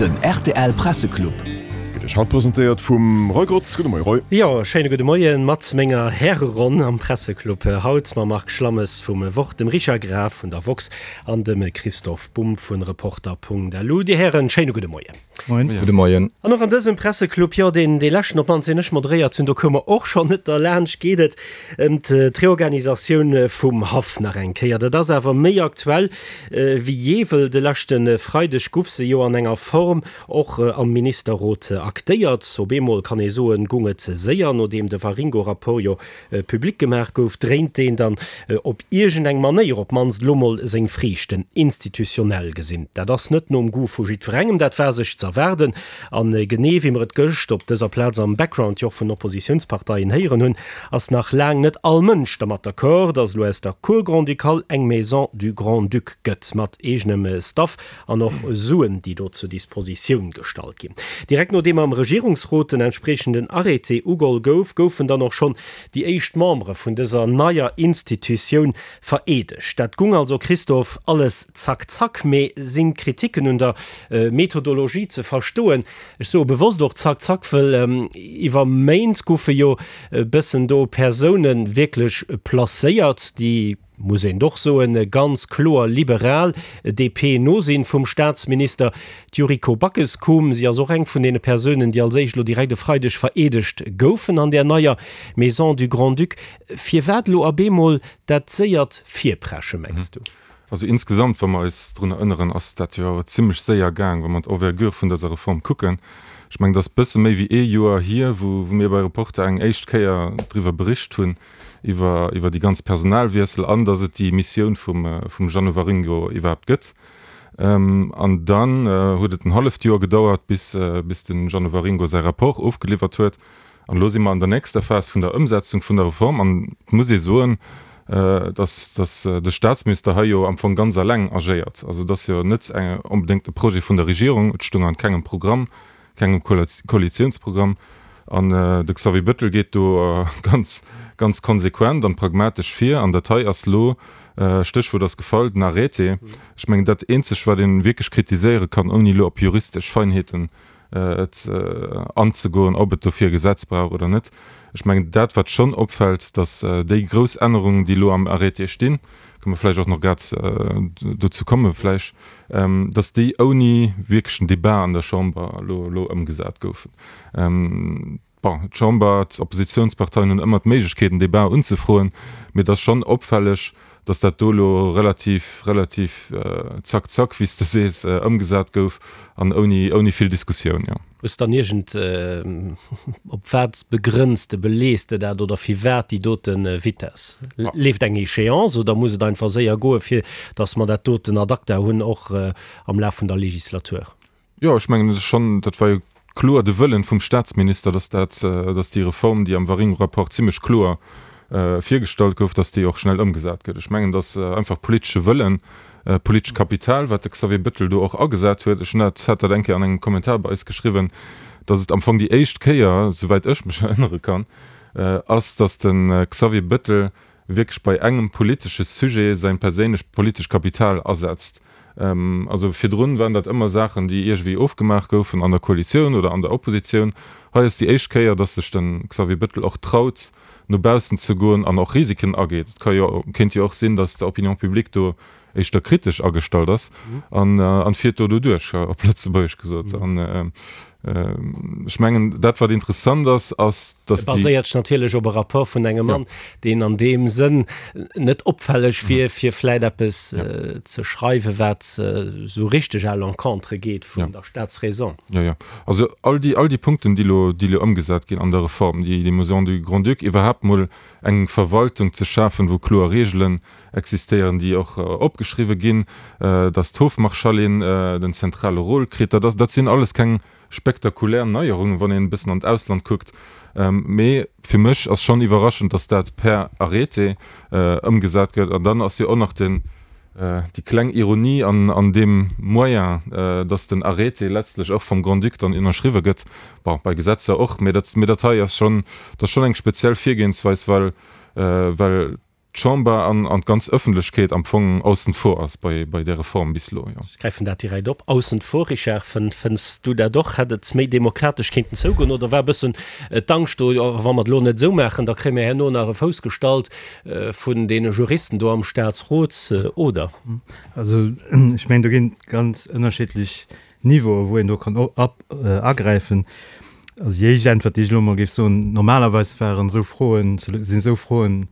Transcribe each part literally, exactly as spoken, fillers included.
Den rtl Presseclub. Gëtt Iech haut presentéiert vum Roy Grotz. Gudde Moie Roy. Jo, schéine gudde Moien mat menger Häreronn am Presseclub. Haut mam Marc Schlammes vum Wort, dem Richard Graf vun der woxx an dem Christoph Bumb vun Reporter.lu. Dir Hären, schéine gudde Moien. Moien. Gudde Moien. An och an dësem Presseclub, jo, deen dee leschten op d'mannst deen ech moderéiert hunn, do koume mer och schonn net derlaanscht, geet et ëm d'Reorganisatioun vum Haff nach eng Kéier. Dat ass awer méi aktuell wéi jee, wëll de leschte Freideg guff se jo an enger Form och am Ministerrot aktéiert. Op eemol kann ee soen, gung et séier, nodeem de Waringo-Rapport jo public gemaach gouf, dréint deen dann op iergendeng Manéier op d'mannst elo mol seng Friichten, institutionell gesinn. Dat ass net nom Goût vu jiddwerengem, dat war sech z'erwaarden. A genee wéi mer et gëscht op dëser Plaz am Background jo och vun Oppositiounsparteien héieren hunn, ass nach laang net all Mënsch dermat d'accord, datt elo aus der Cour grand-ducale eng Maison du Grand-Duc gëtt, mat eegenem Staff an och Suen, déi do zur Dispositioun gestallt ginn. Direkt nodeem am Regierungsrot den entspriechenden Arrêté ugoll gouf, goufen dann och schonn déi éischt Membere vun dëser neier Institutioun vereedegt. Dat gung also, Christophe, alles zack zack. Mee sinn d'Kritiken un der Methodologie ze verstoen? Ech soe bewosst och zack zack, wëll iwwer Méint goufe jo e bëssen do Persoune wierklech placéiert, déi, muss een och soen, ganz kloer liberal D P no sinn vum Staatsminister. D'Yuriko Backes koum, si ass och eng vun deene Persounen, déi als éischt elo direkt e Freideg vereedegt goufen an där neier Maison du Grand-Duc. Firwat elo op eemol dat séiert Virpresche, mengs du? Also insgesamt, wa mer eis drun erënneren, ass dat jo zimlech séier gaang, wa mer d'Envergure vun dëser Reform kucken. Ech mengen, dat ass bësse méi wéi ee Joer hier, wou, wou mir bei Reporter eng éischt Kéier driwwer bericht hunn, iwwer, iwwer déi ganz Personalwiessel an dass et déi Missioun vum, vum Jeannot Waringo iwwerhaapt gëtt. Ähm, an dann äh, huet et en halleft Joer gedauert, bis, äh, bis den Jeannot Waringo säi Rapport ofgeliwwert huet. An elo si mer an der nächster Phas vun der Ëmsetzung vun der Reform an et muss ee soen, äh, dass, dass äh, de Staatsminister hei jo am Fong ganz alleng agéiert. Also dat ass jo net eng, onbedéngt e Projet vun der Regierung, et stoung an kengem Programm, kengem Koalitiounsprogramm. An äh, de Xavier Bettel geet do äh, ganz, ganz konsequent an pragmatesch vir an dat hei ass lo äh, Stéchwuert ass gefall, den Arrêté. Ech mengen dat eenzegt, wat ee wierklech kritiséiere kann, ouni lo op juristesch Feinheeten äh, et, äh, anzegoen, ob et dofir Gesetz brauch oder net. Ech mengen dat wat schonn opfält, dass äh, déi grouss Ännerungen, déi lo am Arrêté stinn, kënne mer vläicht och nach grad äh, dozou komme vläicht, ähm, dass déi ouni wierklechen Debat an der Chamber lo, lo ëmgesat goufen. Ähm, bon, d'Chamber, d'Oppositiounsparteien hunn ëmmer d'Méiglechkeet en Debat unzefroen, mee dat ass schonn opfälleg, dass dat do lo relativ relativ äh, zack zack, wéi s de sees, äh, ëmgesat gouf an ouni ouni vill Diskussioun ja. Hues dann iergend äh, op wat begrënns de, belees de dat oder firwat déi doten äh, Vitesse? Ja. Leeft eng Échéance oder muss et einfach séier goe fir dass mer dat doten ad acta hunn och äh, am Laf vun der Legislatur? Jo, ech mengen dat ass schonn, dat war jo kloer de Wëllen vum Staatsminister, dass dat äh, dass déi Reform, déi am Waringo-Rapport zimmlech kloer äh, virgestallt gouf, dass déi och schnell ëmgesat gëtt. Ech mengen, dass äh, einfach politesche Wëllen, äh, politescht Kapital, wat de Xavier Bettel do och agesat huet. Ech hunn dat hat dat eng Kéier an engem Kommentar bei eis geschriwwen, dass et am Fong déi éischt Kéier, souwäit ech mech erënnere kann, äh, ass, dass den äh, Xavier Bettel wierklech bei engem politesche Sujet säin perséinlecht politescht Kapital asetzt. Ähm, also virdrun waren dat ëmmer Saachen, déi iergendwéi ofgemaach goufen an der Koalitioun oder an der Oppositioun. Hei ass déi éischt Kéier, dass sech den Xavier Bettel och traut, no baussen ze goen an och Risiken ageet. Et ka jo, kéint jo och sinn, dass d'Opinion publique do éischter kritesch agestallt ass an, äh, an fiert do doduerch, op Lëtzebuergesch gesot. An äh, äh, ech mengen, dat wat interessant ass, ass, dass déi Baséiert sech natierlech op e Rapport vun engem Mann, deen an deem Sënn net opfälleg wier, fir vläicht eppes äh, ze schreiwen, wat äh, sou richteg à l'encontre geet vun Ja. der Staatsräson. Ja, ja. Also all déi all déi Punkten, déi lo, déi lo ëmgesat ginn an der Reform, déi déi Maison du Grand-Duc iwwerhaapt mol eng Verwaltung ze schafen, wou kloer Reegelen existéieren, déi och äh, opgeschriwwe ginn, äh, dass d'Hofmarschallin äh, den zentrale Rôle kritt, dat, dat sinn alles keng spektakulär Neierungen, wann een e bëssen an d'Ausland kuckt. Ähm, mee fir mech ass schonn iwwerraschend, dass dat per Arrêté äh, ëmgesat gëtt. An dann ass jo och nach den äh, déi kleng Ironie an, an deem Moyen, äh, dass den Arrêté letztlech och vum Grand-Duc dann ënnerschriwwe gëtt. Bon, bei Gesetzer och, mee dat, mee dat hei ass schonn, dat ass schonn eng speziell Virgehensweis, well, äh, well d'Chamber an an d'ganz Ëffentlechkeet am Fong aussen vor ass bei bei där Reform bis elo, jo. Ech gräifen dat direkt op. Aussen vor, Richard, fënn fënns du dat och? Hätt et méi demokratesch kéinten zougoen oder war e bëssen d'Angscht do, jo wa mer et elo net esou maachen, da kréie mir herno nach e Fouss gestallt vun deene Juristen do am Staatsrot, oder? Also ech mengen, do ginn et ganz ënnerschiddlech Niveauen, wou een do kann agräifen. Also déi éischt Äntwert, déi ech elo emol géif soen, Normalerweis waren esou Froen, sinn esou Froen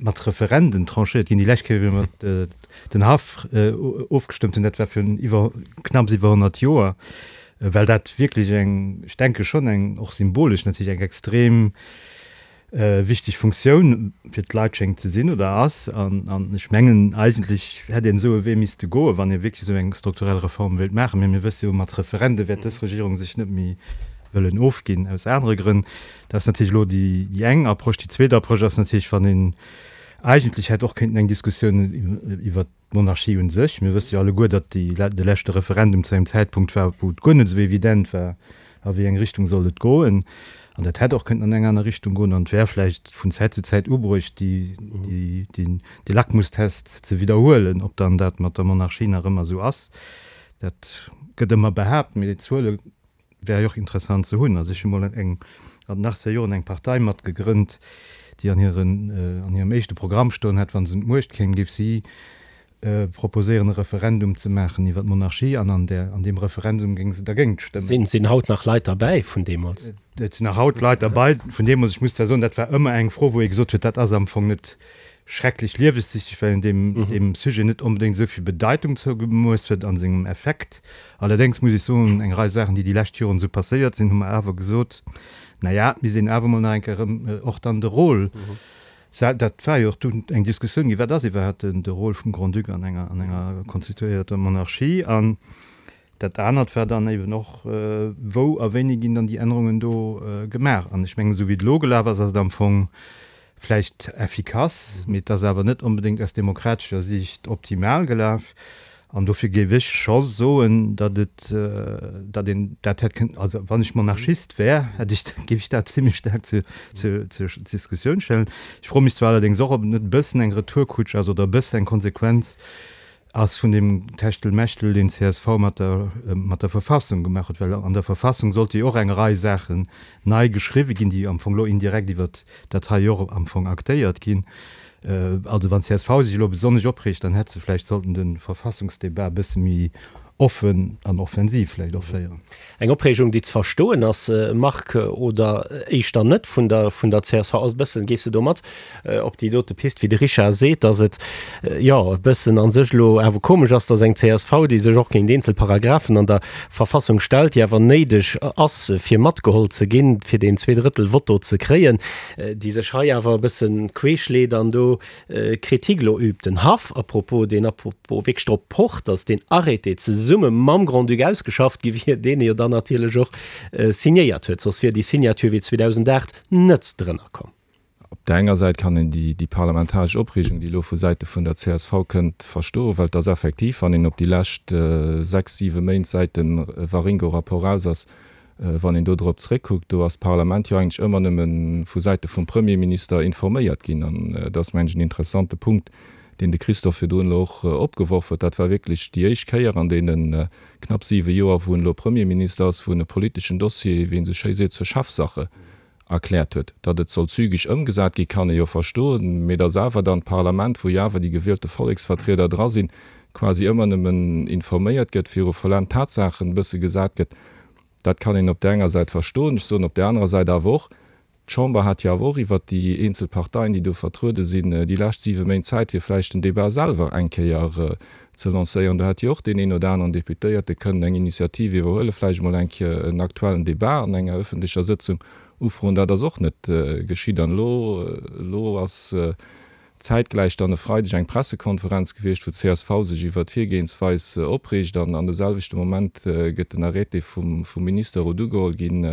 mat Referenden tranchéiert ginn. Déi lescht Kéier, wéi mer den Haff ofgestëmmt hunn, dat war virun iwwer, knapps iwwer honnert Joer, well dat wierklech eng, ech denke schonn eng, och symbolesch natierlech, eng extrem wichteg Funktioun fir d'Leit schéngt ze sinn oder ass. An ech mengen, eigentlech hätt een esou e Wee misste goen, wann ee wierklech esou eng strukturell Reform wéilt maachen. Mee mir wësse jo, mat Referende wäert dës Regierung sech net méi wëllen ofginn, aus anere Grënn. Dat ass natierlech elo déi eng Approche. Déi zweet Approche ass natierlech, wann een eigentlech hätt och kéinten eng Diskussioun iwwert d'Monarchie un sech. Mir wësse jo alleguer, datt déi, de leschte Referendum zu engem Zäitpunkt war, wou et guer net esou evident war, a wéi eng Richtung sollt et goen. An dat hätt och kënnten an eng aner Richtung goen an et wär vläicht vun Zäit zu Zäit ubruecht, déi, déi, déi, dee Lackmustest ze widderhuelen, ob dann dat mat der Monarchie nach ëmmer esou ass. Dat gëtt ëmmer behaapt, mee déi Zuele wär jo och interessant ze hunn. Also ech hu mol eng, an den achtzeger Joren eng Partei mat gegrënnt, déi an hiren, an hirem éischte Programm stoen hat, wa se un d'Muecht kéim, géif si proposéieren e Referendum ze maachen iwwer d'Monarchie an an där, an deem Referendum géing se dergéint stëmmen. Sinn haut nach Leit derbäi vun deemools? Et sinn nach haut Leit derbäi vun deemools. Ech muss zwar soen, dat war ëmmer eng Fro, wou ee gesot huet, dat ass am Fong net schrecklech liewessichteg, well een deem, deem Sujet net onbedéngt esou vill Bedeitung zougemooss huet a sengem Effekt. Allerdéngs muss ech soen, eng Rei Saachen, déi déi lescht Joren esou passéiert sinn, hu mer awer gesot, na ja, et misst een awer emol nach eng Kéier erëm och dann de Rôle, dat war jo och dunn eng Diskussioun ginn, wat ass iwwerhaapt de Rôle vum Grand-Duc an enger, an enger konstituéierter Monarchie? An dat anert war dann eeben och, wou a wéini ginn dann déi Ännerungen do gemaach? An ech mengen, esou wéi et elo gelaf ass, ass et am Fong vläicht effikass, mee et ass awer net onbedéngt aus demokratescher Siicht optimal gelaf. An dofir géif ech scho soen, datt et, datt een dat hätt kënnen, also wann ech Monarchist wär, hätt ech, géif ech dat zimlech staark zur, zur, zur Diskussioun stellen. Ech froe mech zwar allerdéngs och, ob et net e bëssen eng Retourkutsch ass oder e bësse eng Konsequenz ass vun deem Techtelmechtel, deen csv mat der, mat der Verfassung gemaach huet, well an der Verfassung sollte jo och eng Rei Saachen nei geschriwwe ginn, déi am Fong elo indirekt iwwert dat hei jo och am Fong aktéiert ginn. Also wann csv sech elo besonnesch opreegt, dann hätt se vläicht sollten de Verfassungsdebat e bësse méi offen an offensiv vläicht och féieren. Eng Opreegung, déi ze verstoen ass, Marc, oder éischter net vun der vun der csv ass e bëssen, gees de do mat op déi dote Pist, wéi de Richard seet, datt et jo e bëssen a sech elo awer komesch ass, datt eng csv, déi sech och géint eenzel Paragraphen an der Verfassung stellt, déi awer néideg ass fir matgeholl ze ginn, fir deen Zweedrëttel-Votto ze kréien, déi sech hei awer e bëssen queesch leet an do Kritik elo übt. Den Haff à propos, deen à propos wierklech drop pocht, datt deen Arrêté zesumme mam Grand-Duc ausgeschafft gi wier, deen e jo dann natierlech och signéiert huet, soss wier déi Signature wéi zweedausendacht net drënner komm. Op där enger Säit kann een déi parlamentaresch Opreegung, déi elo vu Säite vun der csv kënnt, verstoen, well et ass effektiv, wann een op déi lescht sechs, siwe Méint säit dem Waringo-Rapport raus ass, Wann een do drop zréckkuckt, do ass d'Parlament jo eigentlech ëmmer nëmme vu Säite vum Premierminister informéiert ginn. An dat ass, mengen ech, en interessante Punkt, deen de Christophe virdrun elo och opgeworf huet. Dat war wierklech déi éischt Kéier an deene knapp siwe Joer, wou en elo Premierminister ass, wou en e politeschen Dossier, wéi een esou schéi seet, zur Chefsache erkläert huet. Datt et soll zügeg ëmgesat ginn, kann ee jo verstoen, mee datt awer dann d'Parlament, wou jo awer déi gewielte Volleksvertrieder dra sinn, quasi ëmmer nëmmen informéiert gëtt, viru vollend Tatsaachen e bësse gesat gëtt, Dat kann een op där enger Säit verstoen. Ech soen op där anerer Säit awer och, d'Chamber hat jo awer och iwwert déi eenzel Parteien, déi do vertruede sinn, déi lescht siwe Méint Zäit, fir vläicht den Débat selwer eng Kéier ze lancéieren. Do hätt jo och deen een oder aneren Deputéierte kënnen eng Initiativ iwwerhuelen, vläicht emol eng Kéier en aktuellen Débat an enger öffentlecher Sëtzung ufroen. Dat ass och net geschitt. An elo, elo ass zäitgläich dann e Freideg eng Pressekonferenz gewiescht, wou d'CSV sech iwwert d'Virgehensweis opreegt an an de selwechte Moment gëtt den Arrêté vum Ministerrot ugeholl ginn,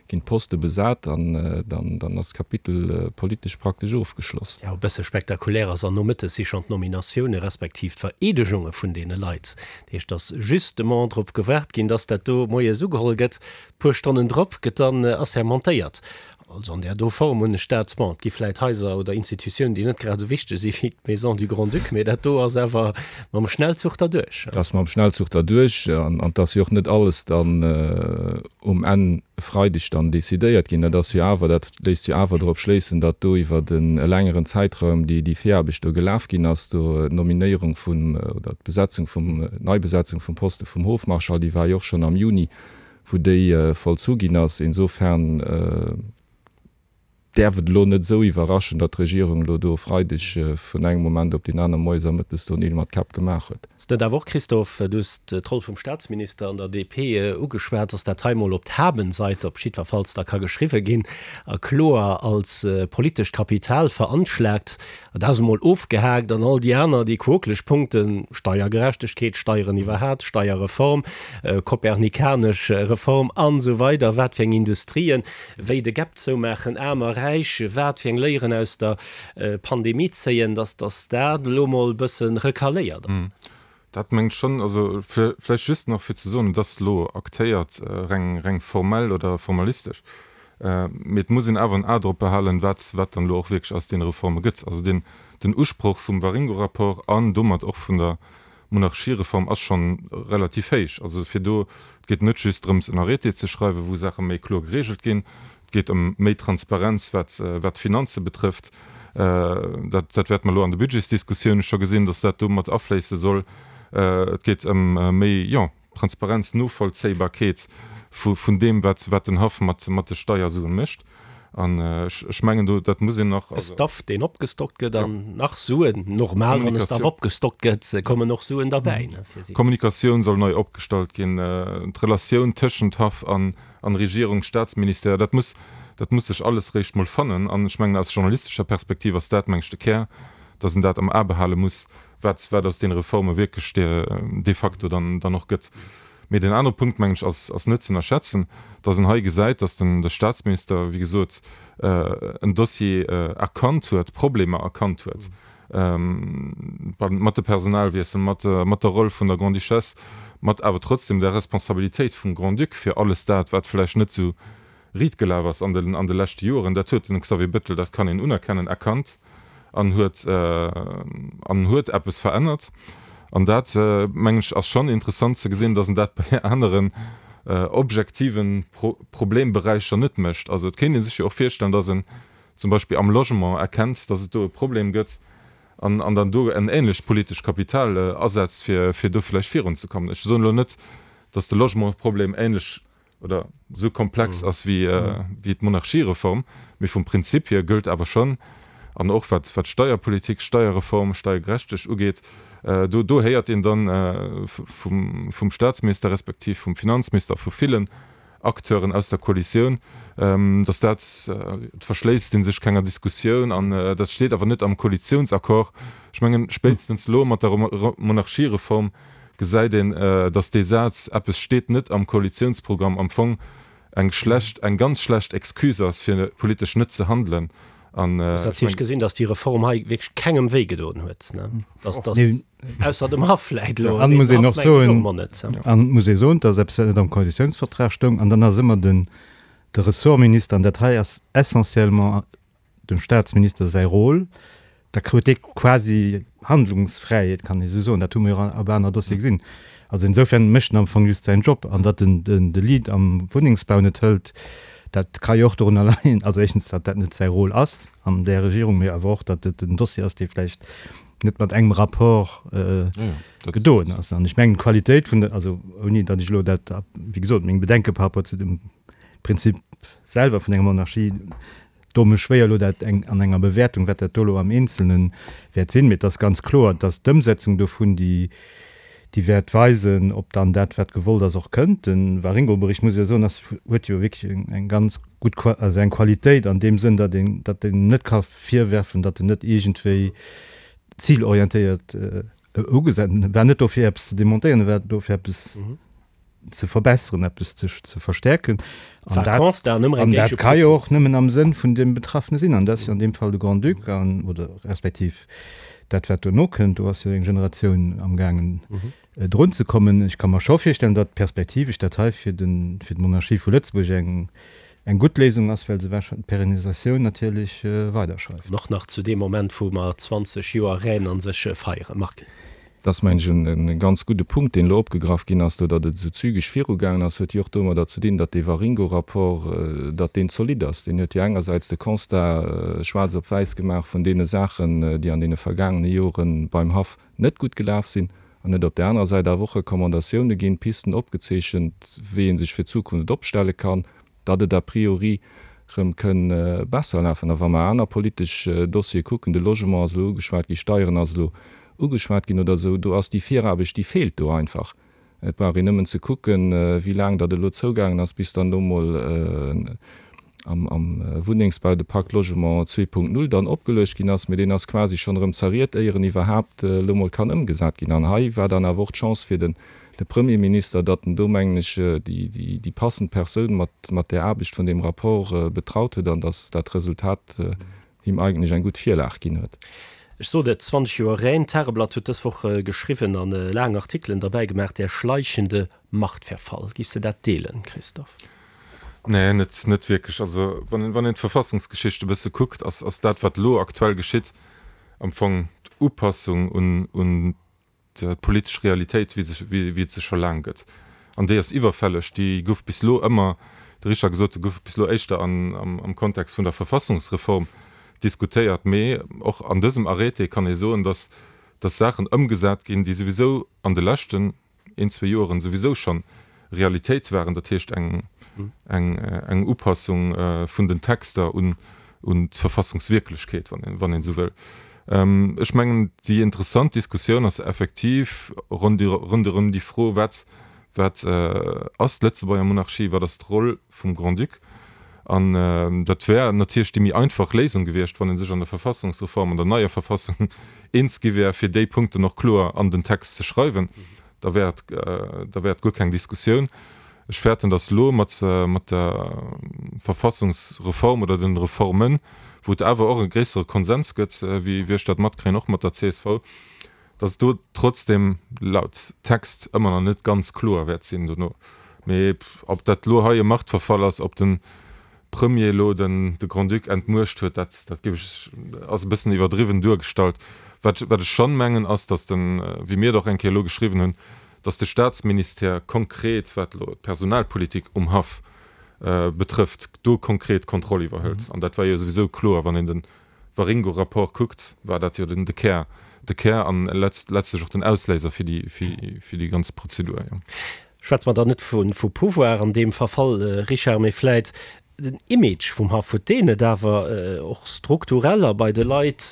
ginn d'Poste besat an dann dann ass d'Kapitel politesch praktesch ofgeschloss. Jo, e bësse spektakulär ass, an nomëttes si schonn d'Nominatioune respektiv d'Vereedegunge vun deene Leit. Dat heescht, dass justement drop gewaart ginn, dass dat do moies ugeholl gëtt, puer Stonnen drop gëtt dann assermentéiert. Also an där do Form hunn ech dat, bon, et gi vläit Haiser oder Institutiounen, déi net grad esou wichteg si wéi d'Maison du Grand-Duc, mee dat do ass awer mam Schnellzuch derduerch. Dat ass mam Schnellzuch derduerch an et ass jo och net alles dann um Enn e Freideg dann decidéiert ginn. Dat ass jo awer, dat léisst jo awer drop schléissen, datt do iwwer e längeren Zäitraum déi déi Viraarbecht do gelaf ginn ass, do d'Nominéierung vun oder d'Besetzung vum, d'Neibesetzung vum Poste vum Hofmarschall, déi war jo och schonn am Juni, wou déi vollzu ginn ass. Insofern däerf et elo net esou iwwerraschen, datt d'Regierung elo do e Freideg vun engem Moment op deen anere moies a mëttes do Neel mat Käpp gemaach huet. Ass net awer och, Christophe, du hues d'Roll vum Staatsminister an der D P ugeschwat, datt dat hei emol op d'Habenseite op jiddwerfalls da ka geschriwwe ginn a kloer als politescht Kapital veranschlagt? Dat ass emol ofgehaakt an all déi aner, déi quokeleg Punkten, Steiergerechtegkeet, Steieren iwwerhat, Steierreform, kopernikanesch Reform an esou weider, wat fir eng Industrien, wéi de Gap zoumaachen, Aarm a Räich, wat fir eng Léieren aus der Pandemie zéien, dass dass dat elo emol e bësse recaléiert ass. Dat mengt schonn, also vläicht just nach fir ze soen, et ass elo aktéiert, reng reng formell oder formalistesch, mee et muss een awer en A drop behalen, wat wat dann elo och wierklech aus deene Reforme gëtt. Also den den Usproch vum Waringo-Rapport an domat och vun der Monarchiereform ass schonn relativ héich. Also fir do, et geet net just drëms en Arrêté ze schreiwen, wou Saache méi kloer geregelt ginn, et geet ëm méi Transparenz wat wat d'Finanze betrëfft. Dat dat wäerte mer elo an de Budgetsdiskussioune scho gesinn, datt dat do mat afléisse soll. Et geet ëm méi, jo, Transparenz, Novollzéibarkeet vu vun deem, wat wat den Haff mat mat de Steiersuen mécht. An ech ech mengen do, dat muss een nach, E also. Staff, deen opgestockt gëtt an nach Suen, normal, wann e Staff Kommunikatioun. opgestockt gëtt, kommen och Suen derbäi, ne, fir si. Kommunikatioun soll nei opgestallt ginn, d'Relatioun tëschent Haff an an Regierung, Staatsministère, dat muss dat muss sech alles réischt mol fannen. An ech mengen, aus journalistescher Perspektiv ass dat, meng ech, de Kär, dass een dat am A behale muss, wat wat aus deene Reforme wierklech de de facto dann dann och gëtt. Mee deen anere Punkt, mengen ech, ass ass net ze ënnerschätzen, dass een hei gesäit, dass den de Staatsminister, wéi gesot, en Dossier erkannt huet, Problemer erkannt huet mat de Personalwiessel, mat mat der Roll vun der Grande-Duchesse, mat awer trotzdem der Responsabilitéit vum Grand-Duc fir alles dat, wat vläicht net esou riit gelaf ass an den an de leschte Joren. Dat huet den Xavier Bettel, dat kann een unerkennen, erkannt an huet an huet eppes verännert. An dat, mengen ech, ass schonn interessant ze gesinn, datt en dat bei aneren objektive Problemberäicher net mécht. Also et kéint ee sech jo och virstellen, datt en zum Beispill am Logement erkennt, datt et do e Problem gëtt an an dann do en ähnlecht politescht Kapital asetzt, fir fir do vläicht virunzekommen. Ech soen elo net, datt de Logementsproblem ähnlech oder esou komplex ass wéi wéi d'Monarchiereform, mee vum Prinzip hier gëllt awer schonn, an och wat wat d'Steierpolitik, Steierreform, Steiergerechteg ugeet, do do héiert een dann vum vum Staatsminister respektiv vum Finanzminister, vu villen Acteuren aus der Koalitioun, datt dat, et verschléisst ee sech kenger Diskussioun an dat steet awer net am Koalitiounsaccord. Ech mengen, spéitstens elo mat der Monarchiereform gesäit een, datt dee Saz, eppes steet net am Koalitiounsprogramm, am Fong eng schlecht, eng ganz schlecht Excuse ass, fir politesch net ze handelen. An Ass ech natierlech mengen. gesinn, datt déi Reform hei wierklech kengem wéi gedoen huet, ne? Datt, datt, ausser dem Haff vläit elo, An mee muss den een Haff och mengen ech och soen, emol net. an muss ee soen, datt eppes net am Koalitiounsvertrag stoung, an dann ass ëmmer den de Ressortminister, an dat hei ass essentiellement dem Staatsminister säi Rôle, da krut dee quasi Handlungsfräiheet, kann ee sou soen. Dat hu mir jo op aner Dossiere gesinn. Also insofern mécht en am Fong just säin Job. An datt en den de Lead am Wunnengsbau net hëlt, dat ka jo och dorunner leien, also éischtens, datt dat net säi Rôle ass an där Regierung, mee awer och, datt et en Dossier ass, dee vläicht net mat engem Rapport gedoen ass. An ech mengen, d'Qualitéit vun der, also ouni datt ech elo dat, wéi gesot, meng Bedenke par rapport zu dem Prinzip selwer vun enger Monarchie, doe mech schwéier elo dat eng an enger Bewäertung, wat dat do elo am Eenzelne wäert sinn. Mee et ass ganz kloer, datt d'Ëmsetzung dovun, déi, déi wäert weisen, ob dann dat, wat gewollt ass, och kënnt. De Waringo-Bericht, muss ech jo soen, ass, huet jo wierklech eng, eng ganz gutt, also eng Qualitéit an deem Sënn, datt een, datt een net ka virwerfen, datt en net iergendwéi zilorientéiert ugesat war. Net do fir eppes ze demontéieren, e war do fir eppes ze verbesseren, eppes ze, ze verstärken. An dat, an dat ka jo och nëmmen am Sënn vun deem Betraffene sinn, an dat ass jo an deem Fall de Grand-Duc an, oder respektiv dat wat dono kënnt, do ass jo eng Generatioun amgaangen drun ze kommen. Ech ka mer scho virstellen, datt perspektivesch dat hei fir den, fir d'Monarchie vu Lëtzebuerg eng, eng gutt Léisung ass, well se wahrscheinlech d'Perennisatioun natierlech weiderschreift. An och nach zu deem Moment, wou mer zwanzeg Joer Rhäne an sech feieren. Marc. Dat ass, mengen ech, e ganz gudde Punkt, deen elo opgegraff ginn ass do, datt et esou zügeg virugaangen ass, huet jo och domadder ze dinn, datt dee Waringo-Rapport, datt deen zolidd ass. Deen huet jo engersäits de Constat schwaarz op wäiss gemaach vun deene Saachen, déi an deene vergaangene Jore beim Haff net gutt gelaf sinn, an huet op där anerer Säit awer och Recommandatioune ginn, Pisten opgezeechent, wéi ee sech fir d'Zukunft opstelle kann, datt et a priori rëm kënn besser lafen. A wa mer aner politesch Dossiere kucken, de Logement ass elo ugeschwat ginn, Steieren ass elo ugeschwat ginn oder esou, do ass déi Viraarbecht, déi feelt do einfach. Et brauch een nëmmen ze kucken, wéi laang datt elo zougaangen ass, bis dann elo mol am Wunnengsbau de Pacte Logement zwee Punkt null dann opgeluecht ginn ass, mee deen ass quasi schonn erëm zerriet, éier en iwwerhaapt elo mol kann ëmgesat ginn. An hei war dann awer och d'Chance fir den Premierminister, datt en do, mengen ech, déi passend Persoun mat där Aarbecht vun deem Rapport betraut huet an datt dat Resultat him eigentlech eng gutt Virlag ginn huet. Ech sot et, zwanzeg Joer Rhäin. D'Tageblatt huet dës Woch geschriwwen an laang Artikelen derbäi gemaach, Der schleichende Machtverfall. Giffs de dat deelen, Christophe? Nee, net, net wierklech. Also wann een, wann een d'Verfassungsgeschicht e bësse kuckt, ass, ass dat, wat elo aktuell geschitt, am Fong d'Upassung un, un d'politesch Realitéit, wéi se, wéi et se scho laang gëtt. An déi ass iwwerfälleg. Déi gouf bis elo ëmmer, de Richard gesot, déi gouf bis elo éischter an, am, am Kontext vun der Verfassungsreform diskutéiert. Mee och an dësem Arrêté kann ee soen, dass, dass Saachen ëmgesat ginn, déi souwisou an de leschten een, zwee Joren souwisou schonn Realitéit waren. Dat heescht eng, eng, eng Upassung vun den Texter un, un d'Verfassungswierklechkeet, wann een, wann een esou wëll. Ech mengen, déi interessant Diskussioun ass effektiv ronderëm déi Fro, Wat, wat ass d'Lëtzebuerger Monarchie, wat ass d'Roll vum Grand-Duc? An dat wär natierlech déi méi einfach Léisung gewiescht, wann ee sech an der Verfassungsreform, an der neier Verfassung eens gi wär, fir déi Punkten och kloer an den Text ze schreiwen. Da wär et, da wär et guer keng Diskussioun. Ech fäerten, datt elo mat mat der Verfassungsreform oder den Reformen, wou et awer och e gréissere Konsens gëtt, wéi wéi ech dat matkréien, och mat der C S V, datt et do trotzdem laut Text ëmmer nach net ganz kloer wäert sinn dono. Mee ob dat elo hei e Machtverfall ass, ob de Premier elo den de Grand-Duc entmuecht huet, dat dat géif ech, ass e bëssen iwwerdriwwen duergestallt. Wat wat ech schonn mengen, ass, datt den, wéi mir et och eng Kéier elo geschriwwen hunn, dass de Staatsministère konkret, wat elo d'Personalpolitik um Haff betrëfft, do konkret d'Kontroll iwwerhëlt. An dat war jo souwisou kloer, wann een de Waringo-Rapport kuckt, war dat jo den de Kär, de Kär an letztlech och den Ausléiser fir déi, fir déi ganz Prozedur, jo. Schwätze mer dann net vu Pouvoir an deem Verfall, Richard, mee vläit Den Image vum Haff, huet deen net awer och strukturell a bei de Leit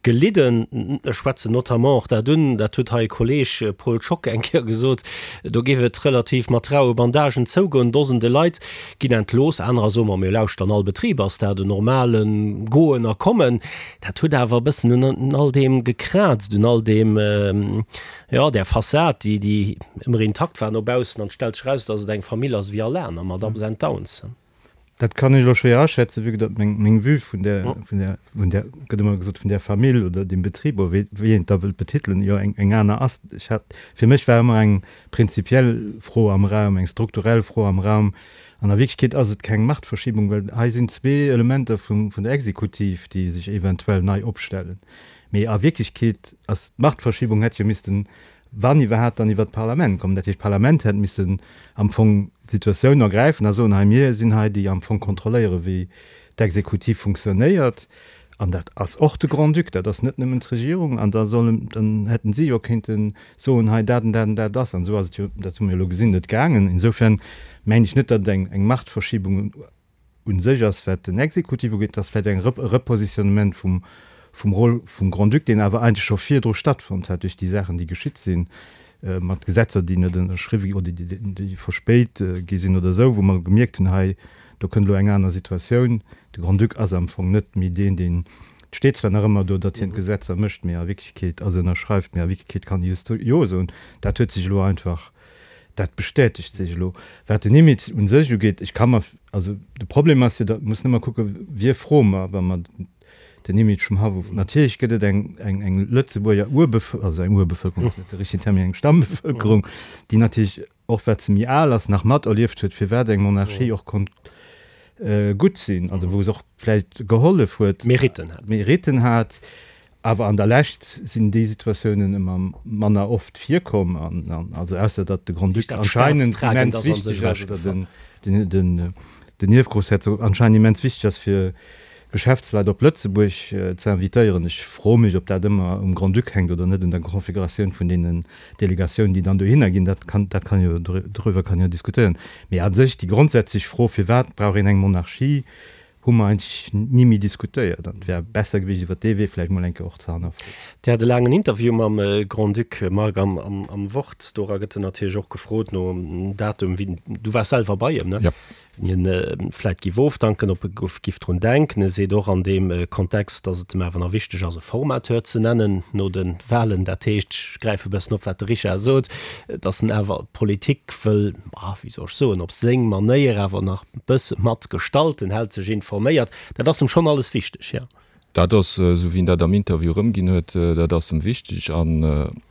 gelidden? Ech schwätzen notamment och dat un, dat huet hei e Kolleeg Paul Schock eng Kéier gesot, do géif et relativ mat raue Bandagen zougoen, Dosende Leit ginn entlooss, anerer soe mer, mir lauschteren, all Betrib ass dat en normale Goen a Kommen. Dat huet awer e bëssen un all deem gekraazt, un all deem, jo, där Fassad, déi, déi ëmmer intakt war no baussen. An et stellt sech eraus, datt et eng Famill ass wéi all aner, mat Ups and Downs. Dat kann ech elo schwéier aschätzen, vue que datt meng, meng Vue vun där, vun där, vun där, gëtt ëmmer gesot, vun där Famill oder deem Betrib, oder wéi, wéi een et da wëllt betitelen, jo eng, eng aner ass. Ech hat, fir mech war ëmmer eng prinzipiell Fro am Raum, eng strukturell Fro am Raum. An a Wierklechkeet ass et keng Machtverschiebung, well hei sinn zwee Elementer vum, vun der Exekutiv, déi sech eventuell nei opstellen. Mee a Wierklechkeet ass d'Machtverschiebung hätt jo missten wann iwwerhaapt, dann iwwert d'Parlament kommen. Dat heescht, d'Parlament hätt missen am Fong d'Situatioun ergräifen a soen, hei mir sinn hei déi am Fong kontrolléieren, wéi d'Exekutiv funktionéiert. An dat ass och de Grand-Duc, dat ass net nëmmen d'Regierung. An da sollen, dann hätten si jo kéinte soen, hei dat an dat an dat ass. An esou ass et jo, dat hu mir elo gesinn, net gaangen. Insofern mengen ech net, datt et eng, eng Machtverschiebung u sech ass, wat den Exekutiv ugeet, ass vläicht eng e Repositionnement vum, vum Rôle vum Grand-Duc, deen awer eigentlech scho virdru stattfonnt hat duerch déi Saachen, déi geschitt sinn, mat Gesetzer, déi net ënnerschriwwe gi oder déi, déi verspéit gi sinn oder esou, wou mer gemierkt hunn, hei, do kënnt elo eng aner Situatioun. De Grand-Duc ass am Fong net méi deen, deen, et steet zwar nach ëmmer do, datt hien d'Gesetzer mécht, mee a Wierklechkeet, also ënnerschreift, mee a Wierklechkeet kann hie just Jo soen. Dat huet sech elo einfach Dat bestätegt sech elo. Wat den Image u sech ugeet, ech ka mer, also de Problem ass jo, da mussen ëmmer kucken, wie froe mer, wa mer den Image vum Haff of. Natierlech gëtt et eng, eng, eng Lëtzebuerger Urbevëlkerung, also eng Urbevëlkerung ass net de richtegen Term, mee eng Stammbevëlkerung, déi natierlech, och wat se méi al ass, nach materlieft huet, firwat eng Monarchie och konnt gutt sinn, also wou se och vläicht gehollef huet, Meritten hat. Meritten hat. Awer an der Lescht sinn déi Situatiounen ëmmer manner oft virkomm, an, an also ausser datt de Grand-Duc anscheinend immens wichteg ass, oder den, den, den, den Ierfgroussherzog anscheinend immens wichteg ass fir Geschäftsleit op Lëtzebuerg ze invitéieren. Ech froe mech, ob dat ëmmer um Grand-Duc hänkt oder net un der Konfiguratioun vun deenen Delegatiounen, déi dann dohinner ginn. Dat kann, dat kann jo, doriwwer kann een jo diskutéieren. Mee a sech déi grondsätzlech Fro, Firwat brauch een eng Monarchie, hu mer eigentlech ni méi diskutéiert. An et wär besser gewiescht, iwwer dee Wee vläicht mol eng Kéier och ze hannerfroen. Dir hat e laangen Interview mam Grand-Duc Marc am, am, am Wort. Dora gëtt en natierlech och gefrot nom Datum, wéi, du waars selwer bei em, ne? Ja. Hien vläit giff ofdanken, ob e giff drun denken. E seet och an deem Kontext, datt et em awer nach wichteg ass, e Formateur ze nennen no de Wahlen. Dat heescht, ech gräife e bëssen op, wat de Richard sot, datt en awer d'Politik wëll, wéi soll ech soen, op seng Manéier awer nach e bësse mat gestalten, hält sech informéiert. Dat ass em schonn alles wichteg, jo. Dat ass, esou wéi en dat am Interview erëmginn huet, dat ass em wichteg. An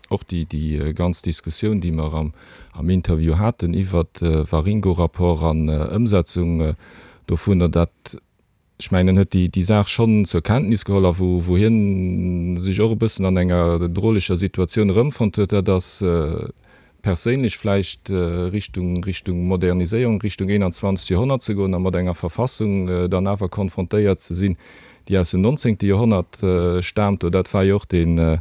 och déi, déi ganz Diskussioun, déi mer am, am Interview haten iwwert de Waringo-Rapport an Ëmsetzung dovunner, dat, ech mengen, en huet déi, déi Saach schonn zur Kenntnis geholl a wou, wou hien sech och e bëssen an enger droleger Situatioun erëmfonnt huet, dat ass, perséinlech vläicht Richtung Richtung Moderniséierung, Richtung einundzwanzegt Joerhonnert ze goen a mat enger Verfassung dann awer konfrontéiert ze sinn, déi aus dem nonzéngte Joerhonnert staamt. Oder dat war jo och deen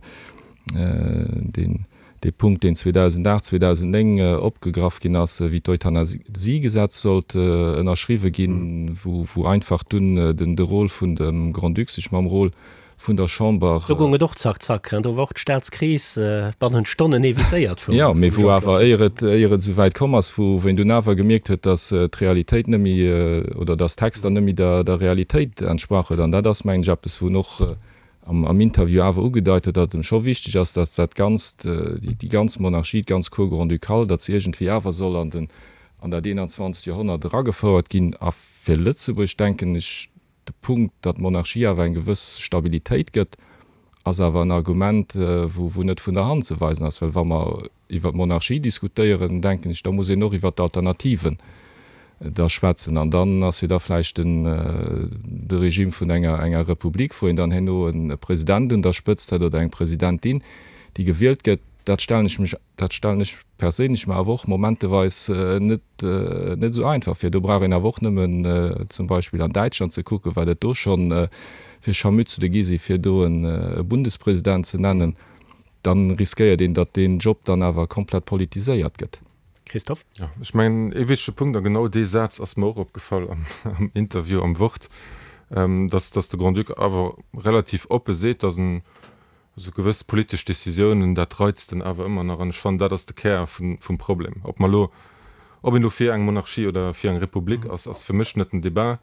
deen dee Punkt, deen zweedausendacht, zweedausennéng opgegraff ginn ass, wéi d'Euthanasiegesetz sollt ënnerschriwwe ginn, wou wou einfach dunn den de Rôle vun dem Grand-Duc sech mam Rôle vun der Chamber. Do goung et och zack, zack. Do war och d'Staatskris bannent Stonnen evitéiert vum Jo, mee wou Jean-Claude awer, éier et, éier et esou wäit komm ass, wou een dunn awer gemierkt huet, datt d'Realitéit net méi, oder datt d'Texter net méi der, der Realitéit entsprach huet. An dat ass, mengen ech, eppes, wou en och am, am Interview awer ugedeit huet, datt et em scho wichteg ass, datt dat Ganzt, déi, déi ganz Monarchie, d'ganz Cour grand-ducale, datt se iergendwéi awer soll an den, an dat einundzwanzegt Joerhonnert eragefouert ginn. A fir Lëtzebuerg, denken ech, De Punkt, datt d'Monarchie awer eng gewëss Stabilitéit gëtt, ass awer en Argument, wou net vun der Hand ze weisen ass. Well wa mer iwwer d'Monarchie diskutéieren, denken ech, da muss een och iwwer d'Alternativen da schwätzen. An dann ass jo da vläicht den de Regime vun enger enger Republik, wou een dann herno e President un der Spëtzt huet oder eng Presidentin, déi gewielt gëtt. Dat stellen ech mech, dat stellen ech perséinlech mer awer och momenteweis net, net esou einfach vir. Do brauch een awer och nëmmen zum Beispill an Däitschland ze kucken, wat et do scho fir Scharmützele gi si fir do e Bundespresident ze nennen. Dann riskéiert een, datt deen Job dann awer komplett politiséiert gëtt. Christophe? Jo, ech mengen, ee wichtege Punkt, a genau dee Saz ass mer och opgefall am Interview am Wort, datt, datt de Grand-Duc awer relativ oppe seet, datt en Esou gewëss politesch Décisiounen, dat reizt en awer ëmmer nach. An ech fannen, dat ass de Kär vum Problem. Ob mer elo, ob een elo fir eng Monarchie oder fir eng Republik ass, ass fir mech net den Débat.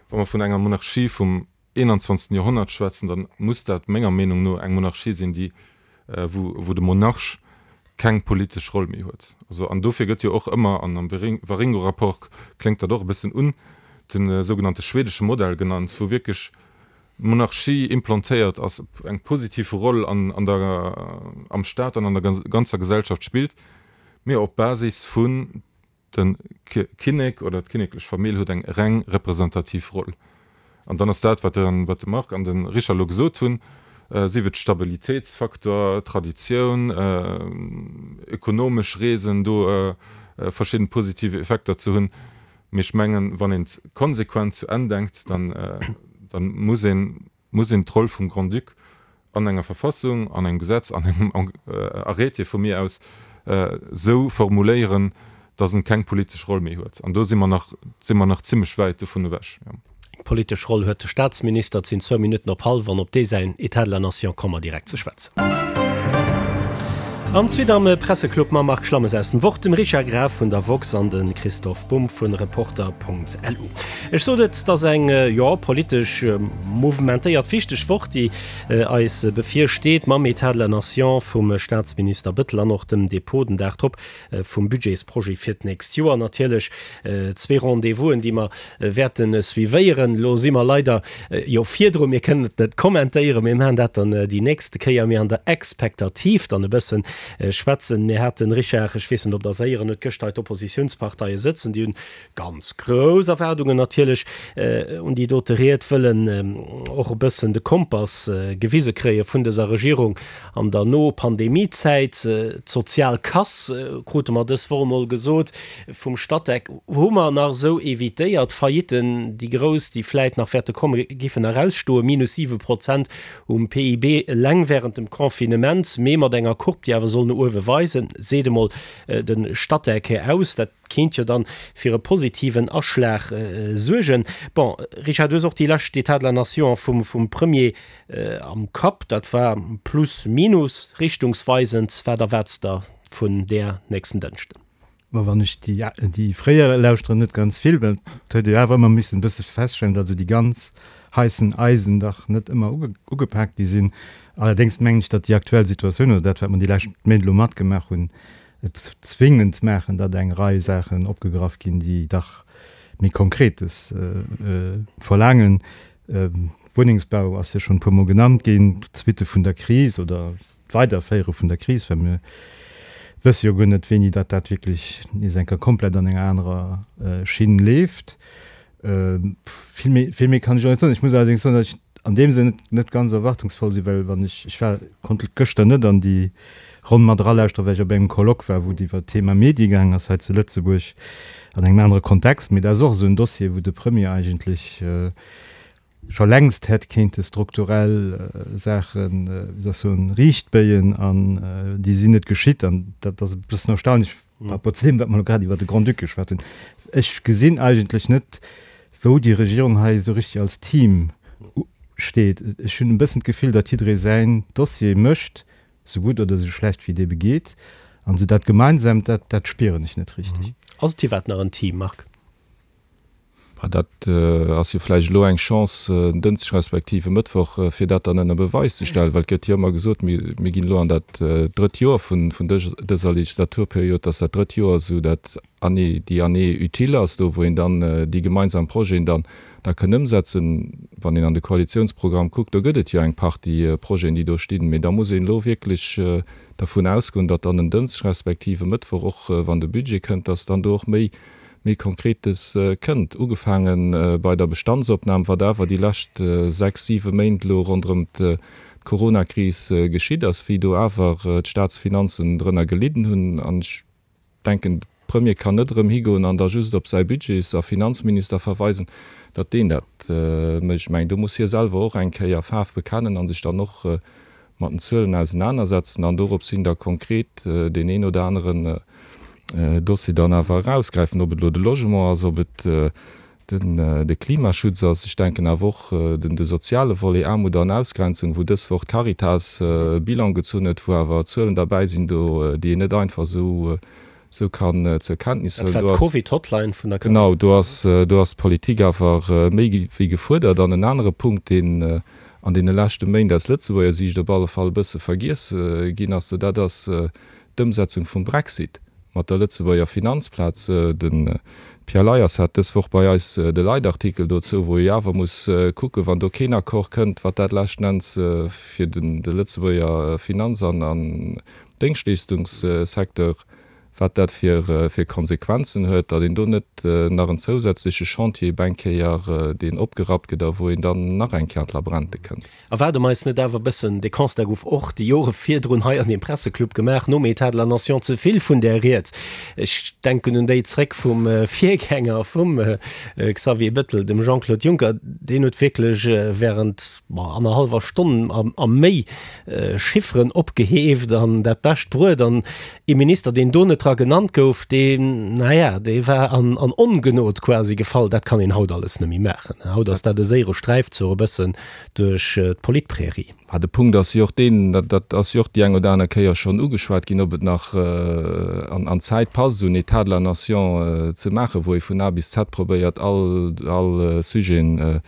Wa mer vun enger Monarchie vum einundzwanzegsten Joerhonnert schwätzen, da muss dat menger Meenung no eng Monarchie sinn, déi, wou, wou de Monarch keng politesch Roll méi huet. Also, an dofir gëtt jo och ëmmer, an am Waringo-Rapport kléngt dat och e bëssen un, de sougenannte schwedesche Modell genannt, wou wierklech d'Monarchie implantéiert ass, eng positiv Roll an an der am Staat an an der ganzer Gesellschaft spillt, mee op Basis vun de Kinnek oder d'kinneklech Famill huet eng reng representativ Roll. An dann ass dat, wat de wat de Marc an de Richard elo gesot hunn, sief et Stabilitéitsfaktor, Traditioun, ökonomesch Reesen, do verschidden positiv Effekter ze hunn, Mee ech mengen, wann een et konsequent zu Enn denkt, dann, dann muss een, muss een d'Roll vum Grand-Duc an enger Verfassung, an engem Gesetz, an engem Arrêté vu mir aus esou formuléieren, dass en keng politesch Roll méi huet. An do si mer nach, si mer nach zimlech wäit dovun ewech. Eng politesch Roll huet de Staatsminister. Et sinn zwou Minutten op hallef an op dee säin État de la Nation komme mer direkt ze schwätzen. An d'Suite am Presseclub mam Marc Schlammes aus dem Wort, dem Richard Graf vun der woxx an de Christoph Bumb vun Reporter.lu. Ech sot et, et ass eng, jo, politesch mouvementéiert, wichteg Woch, déi eis bevirsteet, mam État de la Nation vum Staatsminister Bettel an och dem Dépôt den Dag drop vum Budgetsprojet fir d'nächst Joer. Natierlech zwee Rendez-vousen, déi mer wäerte suivéieren. Elo si mer leider jo virdru, mir kënnen et net kommentéieren, mir maachen dat dann déi nächste Kéier, mee an der Expektativ dann e bëssen. schwätzen. Mir haten, Richard, ech weess net, ob Der se héieren hutt, gëschter hei d'Oppositiounsparteie sëtzen, déi hunn ganz grouss Erwaardungen natierlech un déi dote Ried, wëllen och e bëssen de Kompass gewise kréie vun dëser Regierung an der No-Pandemie-Zäit. D'sozial Kass, krute mer dës Woch emol gesot vum Statec, hu mer nach esou evitéiert. Faillitten, déi grouss, déi vläit nach wäerte kommen, giffen erausstoen, minus siwe Prozent um P I B eleng während dem Confinement, mee mat enger Courbe, déi awer soll no uewe weisen, seet emol de Statec aus. Dat kéint jo dann fir e positiven Aschlag suergen. Bon, Richard, du hues och déi lescht Etat de la Nation vum vum Premier am Kapp. Dat war plus minus richtungsweisend. Wat erwaarts der vun där nächsten Dënschden? Ma wann ech déi déi fréier lauschteren, net ganz vill, well et huet ee jo awer ëmmer missen e bësse feststellen, datt esou déi ganz heissen Eisen dach net ëmmer ugepaakt gi sinn. Allerdéngs mengen ech, datt déi aktuell Situatioun oder dat, wat mer déi lescht Méint elo matgemaach hunn, et zwingend maachen, datt eng Rei Saachen opgegraff ginn, déi dach méi Konkretes verlaangen. Wunnengsbau ass jo schonn e puermol genannt ginn, d'Suitte vun der Kris oder d'Weiderféiere vun der Kris, well mir wësse jo guer net, wéini datt dat wierklech nees eng Kéier komplett an enger anerer Schinn leeft. Vill méi, vill méi kann ech och net soen. Ech muss allerdéngs soen, datt ech an deem Sënn net ganz erwartungsvoll sinn, well wann ech, ech war, konnt gëschter net an déi Ronn mat eralauschteren, well ech op engem Colloque war, wou et iwwer d'Thema Medie gaangen ass hei zu Lëtzebuerg, an engem anere Kontext. Mee dat ass och esou en Dossier, wou de Premier eigentlech scho längst hätt kéinte strukturell Saachen, wéi soll ech soen, riichtbéien, an déi sinn net geschitt. An dat ass e bëssen erstaunlech par rapport zu deem, wat mer elo grad iwwer de Grand-Duc geschwat hunn. Ech gesinn eigentlech net, wou déi Regierung hei esou richtig als Team steet. Ech hunn e bëssen d'Gefill, datt jidderee säin Dossier mécht, sou gutt oder sou schlecht wéi et ebe geet, an esou dat Gemeinsamt, dat, dat spieren ech net richtig. Ass et iwwerhaapt nach en Team, Marc? Bah, dat ass jo vläicht elo eng Chance, en Dënschdeg respektiv e Mëttwoch, fir dat dann ënner Beweis ze stellen, well et gëtt jo ëmmer gesot, mir, mir ginn elo an dat drëtt Joer vun, vun dëser Legislaturperiod, dass dat drëtt Joer esou dat Année, déi Année utile ass, do wou een dann déi gemeinsam Projeten dann da kënn ëmsetzen. Wann een an de Koalitionsprogramm kuckt, do gëtt et jo eng Partie Projeten, déi do stinn. Mee da muss een elo wierklech dervun ausgoen, datt dann en Dënschdeg respektiv e Mëttwoch, och wann de Budget kënnt, datt dann do och méi, méi Konkretes kënnt. Ugefaange bei der Bestandsopnam, wat awer déi lescht sechs, siwe Méint elo ronderëm d'Coronakris geschitt ass, wéi do awer d'Statsfinanzen drënner gelidden hunn. An ech denken, de Premier kann net erëm higoen an da just op säi Budgets a Finanzminister verweisen, datt deen dat mécht. Ech mengen, do muss hie selwer och eng Kéier Faarf bekennen a sech dann och mat den Zuelen ausenanersetzen an dorops hin da konkret deen een oder aneren Dossier dann awer erausgräifen, ob et elo de Logement ass, ob et de Klimaschutz ass. Ech denken awer och den de soziale Volet, Aarmut an Ausgrenzung, wou dës Woch d'Caritas e Bilan gezunn huet, wou awer Zuelen derbäi sinn do, déi een net einfach esou esou kann zur Kenntnis huelen. Dat war d'Covid-Hotline vun der Caritas. Genau, do ass do ass d'Politik awer méi wéi gefuerdert. An en anere Punkt, deen an deene leschte Méint aus Lëtzebuerger Siicht op alle Fall e bësse vergiess ginn ass, dat ass d'Ëmsetzung vum Brexit mat der Lëtzebuerger Finanzplaz. De Pierre Leyers hat dës Woch bei eis de Leitartikel dozou, wou ee awer muss kucken, wann do keen Accord kënnt, wat dat leschten Enns fir de Lëtzebuerger Finanz an Déngschtleeschtungssecteur, wat dat fir Konsequenzen huet, datt een do net nach en zousätzleche Chantier ebe eng Kéier, deen opgerappt gëtt a wou een dann nach eng Kéier an d'Labrente kënnt. Erwaarde mer eis net awer e bëssen, dee Constat gouf och déi Jore virdrun hei an deem Presseclub gemaach, nom État de la Nation ze vill vun där Ried? Ech denken un déi zréck vum Virgänger vum Xavier Bettel, dem Jean-Claude Juncker, deen huet wierklech während annerhallwer Stonn a méi Chifferen opgeheeft an dat Bescht bruet. An ee Minister, deen do net dra genannt gouf, deen, naja, dee war an Ongenod quasi gefall. Dat kann een haut alles net méi maachen. Haut ass dat e séiere Sträifzuch e bëssen duerch d'Politprärie. Mä de Punkt ass jo och deen, dat ass jo och déi eng oder aner Kéier schonn ugeschwat ginn, ob et nach an d'Zäit passt, esou en État de la nation ze maachen, wou ee vun A bis Z probéiert, all all Sujeten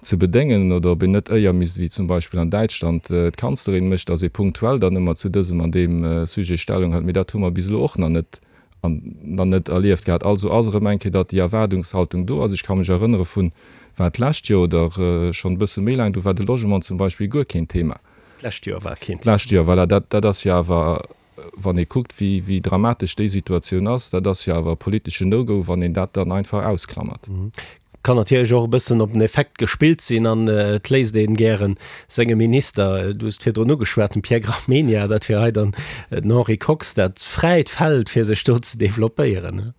ze bedéngen, oder ob een net éier misst, wéi zum Beispill an Däitschland d'Kanzlerin mécht, datt ee punktuell dann ëmmer zu dësem an deem Sujet Stellung hëlt. Mee dat hu mer bis elo och nach net nach net erlieft gehat. Also ass erëm eng Kéier, datt déi Erwaardungshaltung do ass. Ech ka mech erënnere vun, war et d'lescht Joer oder schonn e bësse méi laang, do war de Logement zum Beispill guer keen Thema. D'lescht Joer war keen Thema. D'lescht Joer, voilà. Dat, dat ass jo awer wann ee kuckt, wéi, wéi dramatesch déi Situatioun ass, dat ass jo awer e politeschen No-Go, wann een dat dann einfach ausklammert. Kann natierlech och e bëssen op den Effekt gespillt sinn an et léisst een gären senge Minister, du hues et virdrun ugeschwat, dem Pierre Gramegna, dat wier hei dann den Henri Kox, dat fräit Feld fir sech do ze developpéieren.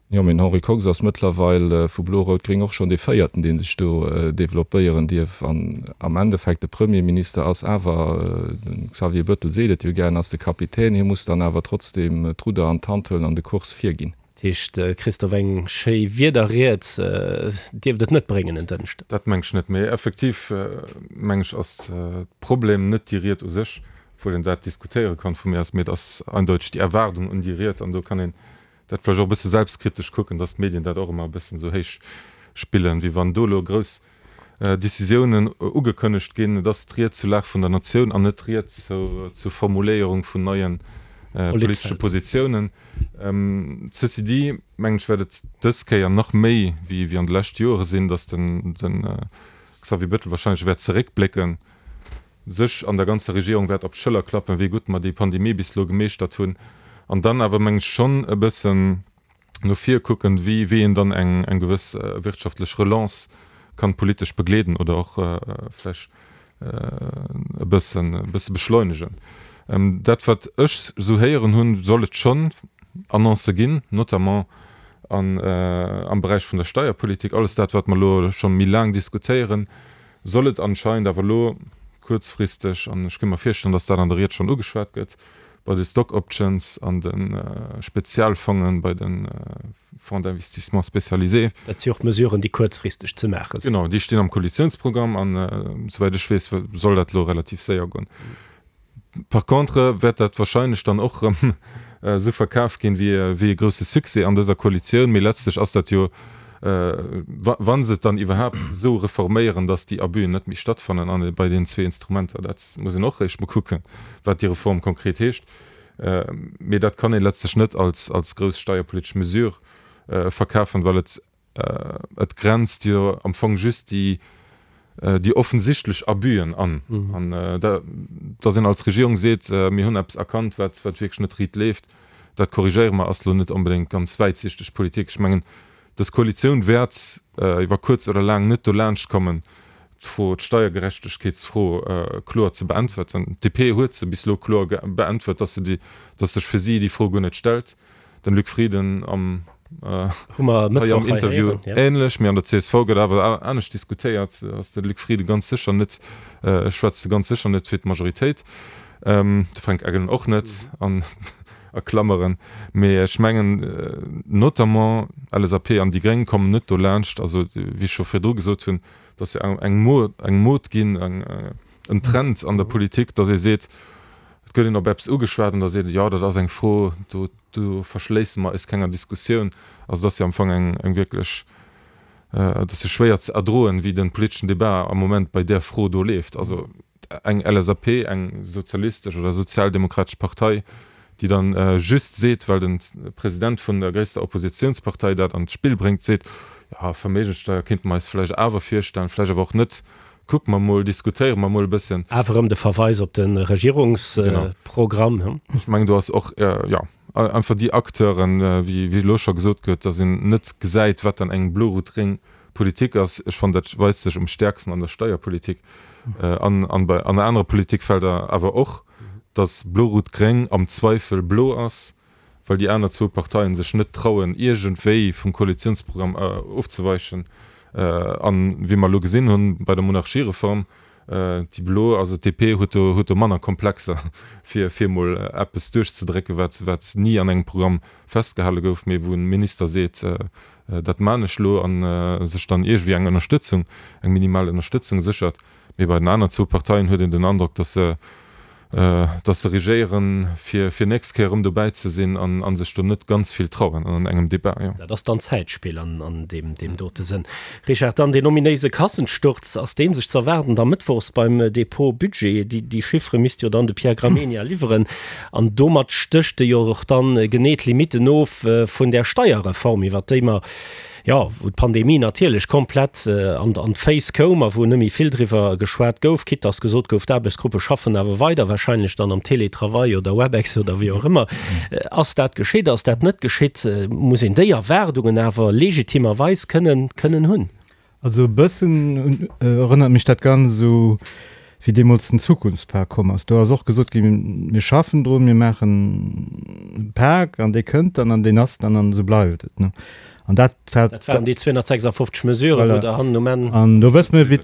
Jo, mee den Henri Kox ass mëttlerweil vu Blo-Rout-Gréng och schonn dee Véierten, dee sech do developpéieren dierf. An am Endeffekt, de Premierminister ass awer, de Xavier Bettel seet et jo gären, ass de Kapitän. Hie muss dann awer trotzdeem d'Rudder an d'Hand huelen an de Kurs virginn. Dat heescht, Christophe, eng schéi Wiederried dierft et net bréngen en Dënschden. Dat meng ech net. Mee effektiv, meng ech, ass d'Problem net déi Ried u sech, obwuel een dat diskutéiere kann vu mir aus, mee et ass eindeuteg déi Erwaardung un déi Ried. An do kann een dat vläicht och e bësse selbstkritesch kucken, dass d'Medien dat och ëmmer e bëssen esou héich spillen, wéi wann do elo grouss Décisiounen ugekënnegt ginn. Et ass d'Ried zur Lag vun der Natioun an net d'Ried zur Formuléierung vun neie politesche Positiounen. Ceci dit, mengen ech, wäert et dës Kéier nach méi wéi an de leschte Joere sinn, dass de Xavier Bettel wahrscheinlech wäert zeréckblécken, sech an der ganzer Regierung wäert op d'Schëller klappen, wéi gutt mer déi Pandemie bis elo gemeeschtert hunn, an dann awer, meng ech, schonn e bëssen no vir kucken, wéi wéi een dann eng eng gewëss wirtschaftlech Relance kann politesch begleeden oder och vläch e bëssen e bësse beschleunegen. Dat, wat ech esou héieren hunn, soll et schonn Annoncë ginn, notamment an am Beräich vun der Steierpolitik, alles dat, wat mer elo scho méi laang diskutéieren, soll et anscheinend awer elo kuerzfristeg, an ech ka mer virstellen, datt dat an der Ried schonn ugeschwat gëtt, bei de Stock Options an de Spezialfongen, bei de Fonds d'investissement spécialisés. Dat si och Mesuren, déi kuerzfristeg ze maache sinn. Genau, déi stinn am Koalitiounsprogramm an, souwäit ech weess, soll dat elo relativ séier goen. Par contre wäert dat wahrscheinlech dann och erëm esou verkaf ginn, wéi e grousse Succès an dëser Koalitioun. Mee letztlech ass dat jo, wa se et dann iwwerhaapt esou reforméieren, datt déi Abüen net méi stattfannen an bei deenen zwee Instrumenter, dat muss een och eréischt mol kucken, wat déi Reform konkret heescht. Mee dat kann ee letztlech net als grouss steierpolitesch Mesure verkafen, well et Et grenzt jo am Fong just déi, déi offensichtlech Abüen an. An datt een als Regierung seet, mir hunn eppes erkannt, wat, wat wierklech net riit leeft, dat korrigéiere mer, ass elo net onbedéngt ganz wäitsichteg Politik. Ech mengen, dës Koalitioun wäert iwwer kuerz oder laang net dolaanscht kommen, d'Fro, d'Steiergerechtegkeetsfro kloer ze beäntwerten. D'D P huet se bis elo kloer beäntwert, datt se déi, datt sech fir si déi Fro guer net stellt. Den Luc Frieden am hei am Interview ähnlech, mee an der C S V gëtt awer anescht diskutéiert, ass de Luc Frieden ganz sécher net, schwätzt e ganz sécher net fir d'Majoritéit, de Fränk Engel och net, an a Klammeren. Mee ech mengen, notamment L S A P an déi Gréng kommen net dolaanscht, also wéi ech scho virdru gesot hunn, et ass jo eng eng Mode ginn, en Trend an der Politik, datt ee seet, et gëtt een op eppes ugeschwat an da seet een, jo dat ass eng Fro, do do verschléisse mer eis kenger Diskussioun. Also et ass jo am Fong eng eng wierklech, et ass jo schwéier ze erdroen, wéi de politeschen Debat am Moment bei där Fro do leeft. Also eng L S A P, eng sozialistesch oder sozialdemokratesch Partei, déi dann just seet, well de President vun der gréisster Oppositionspartei dat an d'Spill bréngt, seet, jo Verméigenssteuer kéinte mer eis vläicht awer virstellen, vläicht awer och net, Kucke mer mol, diskutéiere mer mol e bëssen. Awer erëm de Verweis op de Regierungsprogramm. Genau. Ech mengen, do ass och, jo, einfach déi Acteuren, wéi elo scho gesot gëtt, dass een net gesäit, wat dann eng blo-rot-gréng Politik ass. Ech fannen, dat weist sech um stäerksten an der Steierpolitik an an bei an anere Politikfelder awer och, dass blo-rot-gréng am Zweifel blo ass, well déi aner zwou Parteien sech net trauen, iergendwéi vum Koalitionsprogramm ofzeweichen. An wéi mer elo gesinn hunn bei der Monarchiereform, déi Blo, also d'D P huet do, huet do manner Komplexer, fir, fir emol eppes duerchzedrécken, wat, wat ni an engem Programm festgehale gouf, mee wou e Minister seet, dat maan ech elo, a sech dann iergendwéi eng Ënnerstëtzung, eng minimal Ënnerstëtzung séchert. Mee bei den aner zwou Parteien huet een den Androck, dass se, dass se regéieren, fir, fir nächst Kéier erëm dobäi ze sinn an, a sech do net ganz vill trauen an engem Debat, jo. Dat ass dann Zäitspill an, an deem, deem dote Sënn. Richard, dann deen ominéise Kassensturz, ass dee sech ze erwaarden da mëttwochs beim Dépôt Budget? Déi, déi Chiffere misst jo dann de Pierre Gramegna liwweren an domat stécht e jo och dann genee d'Limitten of vun där Steierreform, iwwert déi mer jo, wou d'Pandemie natierlech komplett an an d'Féiss koum a wou net méi vill driwwer geschwat gouf, quitte dass gesot gouf, d'Aarbechtsgruppe schaffen awer weider, wahrscheinlech dann am Télétravail oder Webex oder wéi och ëmmer. Ass dat geschitt, ass dat net geschitt? Muss een déi Erwaardungen awer legitimerweis kënnen kënnen hunn? Also e bëssen erënnert mech dat Ganzt u wéi deemools den Zukunftspak komm ass. Do ass och gesot ginn, mir schaffen drun, mir maachen e Pak an dee kënnt dann an deen ass dann an esou bleift et. An dat hat. Dat waren déi zweehonnertsechsafofzeg Mesuren, wou der hannen um Enn. An do wësse mir, wéi,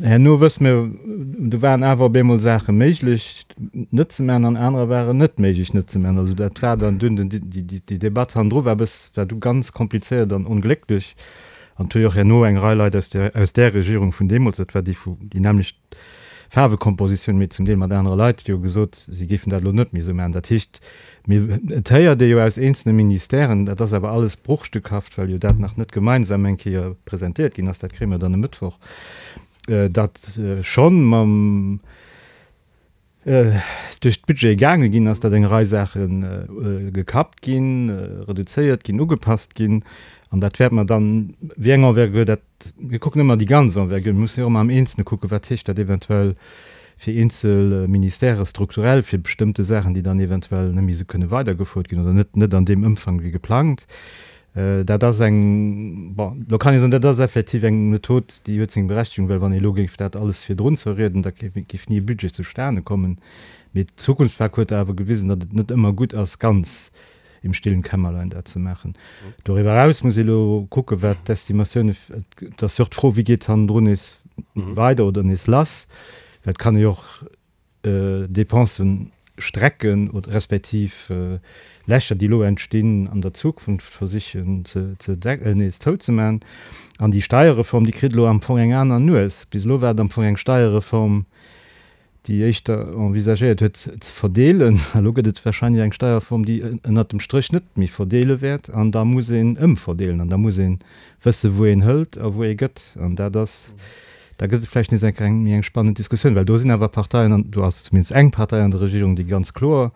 herno wësse mir, do waren awer op eemol Saache méiglech net ze maachen an anerer waren net méiglech net ze maachen. Also dat war dann dunn, déi Debatt hannendru war e bëss, war du ganz komplizéiert an onglécklech. An et hu jo och herno eng Rei Leit aus där, aus där Regierung vun deemools, dat war déi vu, déi nämmlecht Faarwekompositioun, mee zum Deel mat anere Leit, jo gesot, si géifen dat elo net méi esou maachen. Dat heescht, mir, et héiert ee jo aus eenzelne Ministèren, dat ass awer alles bruchstückhaft, well jo dat nach net gemeinsam eng Kéier presentéiert ginn ass, dat kréie mer dann e Mëttwoch, datt schonn mam, duerch d'Budgete gaange ginn ass, datt eng Rei Saache gekappt ginn, reduzéiert ginn, ugepasst ginn. An dat wäerte mer dann, wéi eng Envergure dat, mir kucken ëmmer déi ganz Envergure, mir mussen jo och ëmmer am Eenzelne kucken, wat heescht dat eventuell fir eenzel Ministèrë strukturell, fir bestëmmte Saachen, déi dann eventuell net méi esou kënne weidergefuert ginn oder net net an deem Ëmfang wéi geplangt. Dat ass eng, bon, elo kann ee soen, dat ass effektiv eng Method, déi huet seng Berechtigung, well wann ee elo géif dat alles virdrun zerrieden, da géif ni e Budget zustane kommen. Mee d'Zukunftspak huet awer gewisen, datt et net ëmmer gutt ass, ganz im stillen Kämmerlein dat ze maachen. Doriwwer eraus muss ee elo kucken, wat d'Estimatioune, et ass jo och d'Fro, wéi geet hannendrun nees weider oder nees lass, well et kann ee jo och Dépensen strecken oder respektiv Lächer, déi elo entstinn, an der Zukunft versichen ze nees zouzemaachen. An déi Steierreform, déi kritt elo am Fong eng aner Nues. Bis elo war et am Fong eng Steierreform, déi éischter envisagéiert huet ze verdeelen. Elo gëtt et wahrscheinlech eng Steierreform, déi ënnert dem Stréch net méi verdeele wäert. An da muss een ëmverdeelen an da muss ee wësse wou een hëlt a wou ee gëtt. An dat ass Da gëtt et vläicht nees eng eng méi eng spannend Diskussioun, well do sinn awer Parteien, an do ass zumindest eng Partei an der Regierung, déi ganz kloer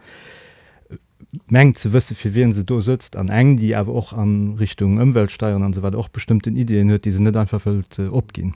mengt ze wësse fir wien se do sëtzt, an eng, déi awer och a Richtung Ëmweltsteieren an esou weider och bestëmmten Ideeën huet, déi se net einfach wëllt opginn.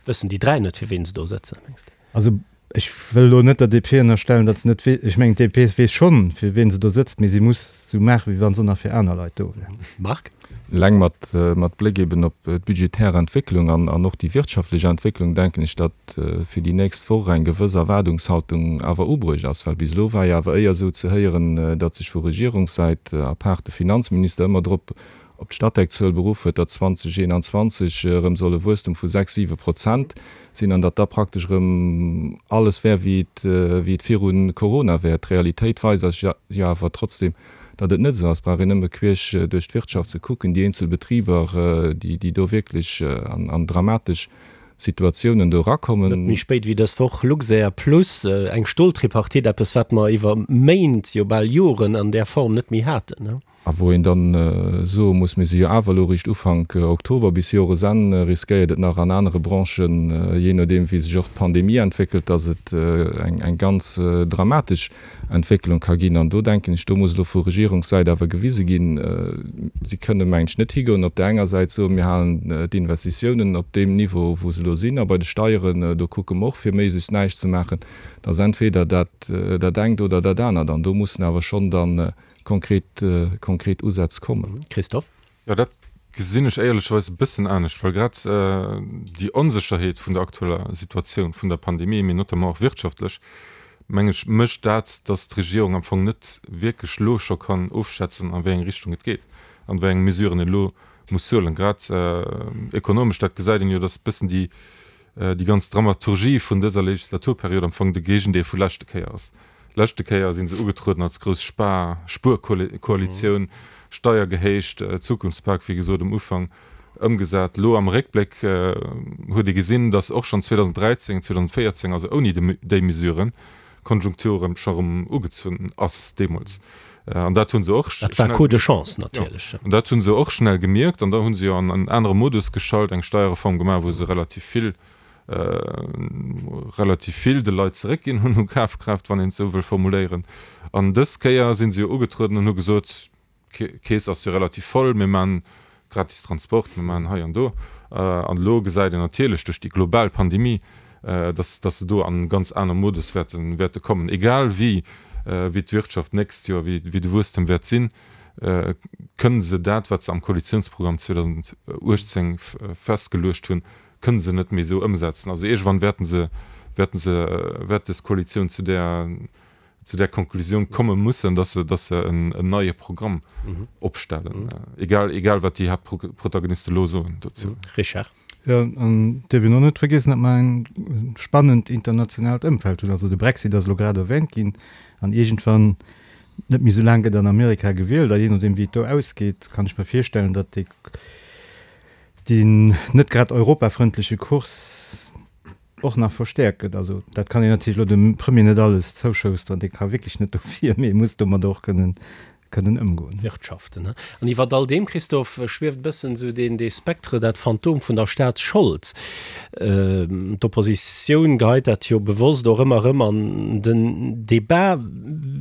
Wëssen déi dräi net, fir wien se do sëtzen, mengs de? Also ech wëll elo net der D P ënnerstellen, datt se net wee, ech mengen d'D P weess schonn, fir wien se do sëtzt, mee si muss esou maachen, wéi wa se nach fir aner Leit do wär. Marc? Eleng mat, mat Bléck eben op d'budgetär Entwécklung an, an och déi wirtschaftlech Entwécklung denken ech, datt fir déi nächst Woch eng gewëss Erwaardungshaltung awer ubruecht ass. Well bis elo war jo awer éier esou ze héieren, datt sech vu Regierungssäit, à part de Finanzminister, ëmmer drop op d'Statec-Zuel beruff huet, datt zweedausendeenanzwanzeg erëm soll e Wuesstum vu sechs, siwe Prozent sinn an datt da praktesch erëm alles wär, wéi et, wéi et viru Corona wär. D'Realitéit weist eis jo awer trotzdem, datt et net esou ass. Et brauch een nëmme queesch duerch d'Wirtschaft ze kucken, déi eenzel Betriber, déi, déi do wierklech an, an dramatesch Situatiounen do erakommen. Net méi spéit wéi dës Woch Luxair plus eng Stoltripartite, eppes wat mer iwwer Méint, jo bal Joren an där Form net méi haten. A wou een dann soe muss, mir si jo awer elo eréischt Ufank Oktober, bis Joresenn riskéiert et nach an anere Branchen, jee nodeem wéi sech och d'Pandemie entwéckelt, datt et eng ganz dramatesch Entwécklung ka ginn. An do denken ech, do muss elo vu Regierungssäit awer gewise ginn, si kënne meng ech net higoen, op där enger Säit soen, mir halen d'Investitiounen op deem Niveau wou se elo sinn, a bei de Steieren, do kucke mer och fir méiglechst näischt ze maachen. Et ass entweder dat dat engt oder dat anert an do mussen awer schonn dann konkret, konkret Usätz kommen. Christophe? Jo, dat gesinn ech éierlecherweis e bëssen anescht, well grad déi Onsécherheet vun der aktueller Situatioun vun der Pandemie, mee notamment och wirtschaftlech, meng ech, mécht dat, datt d'Regierung am Fong net wierklech elo scho kann ofschätzen, a wéi eng Richtung et geet an wéi eng Mesuren een elo muss huelen. Grad ekonomesch, dat gesäit een jo, datt e bëssen déi, déi ganz Dramaturgie vun dëser Legislaturperiod am Fong de Géigendeel vu leschte Kéier ass. Leschte Kéier si se ugetrueden als grouss Spar-, Spuerkoalitioun, Steier gehéicht, Zukunftspak, wéi gesot um Ufank, ëmgesat. Elo am Réckbléck huet ee gesinn, datt och schonn zweedausendräizéng, zweedausendvéierzéng, also ouni déi Mesuren, d'Konjunktur erëm scho erëm ugezunn ass deemools. An dat hu se och Dat war Coup de chance natierlech. An dat hu se och schnell gemierkt. An da hu se jo an en anere Modus geschalt, eng Steierreform gemaach, wou se relativ vill, relativ vill de Leit zeréckginn hunn u Kafkraaft, wann een et esou wëll formuléieren. An dës Kéier si se jo ugetrueden an hu gesot, d'Keess ass jo relativ voll, mir maachen gratis Transport, mir maachen hei an do. An elo gesäit een natierlech duerch déi global Pandemie, dass dass se do an e ganz aner Modus wäerte wäerte kommen. Egal wéi wéi d'Wirtschaft d'nächst Joer, wéi wéi de Wuesstem wäert sinn, kënnen se dat, wat se am Koalitionsprogramm zweedausenduechtzéng festgeluecht hunn, kënnen se net méi esou ëmsetzen. Also iergendwann wäerten se wäerten se wäert dës Koalitioun zu där zu där Konklusioun komme mussen, dass se, dass se en neie Programm opstellen, egal, egal wat déi Haaptprotagoniste elo soen dozou. Richard. Jo, an et dierf een och net vergiessen, datt mer en spannend internationaalt Ëmfeld hunn. Also de Brexit ass elo grad erwähnt ginn an iergendwann, net méi esou laang, gëtt an Amerika gewielt a jee nodeem wéi et do ausgeet, kann ech mer virstellen, datt dee, deen net grad europafrëndleche Kurs och nach verstäerkt gëtt. Also dat kann een natierlech elo dem Premier net alles zouschousteren, dee ka wierklech net dofir, mee e muss domadder och kënnen kënnen ëmgoen. Wirtschaften. An iwwert all deem, Christophe, schwieft e bëssen esou deen dee Spectre, dat Phantom vun der Staatsschold. D'Oppositioun geheit dat jo bewosst och ëmmer erëm an den Debat.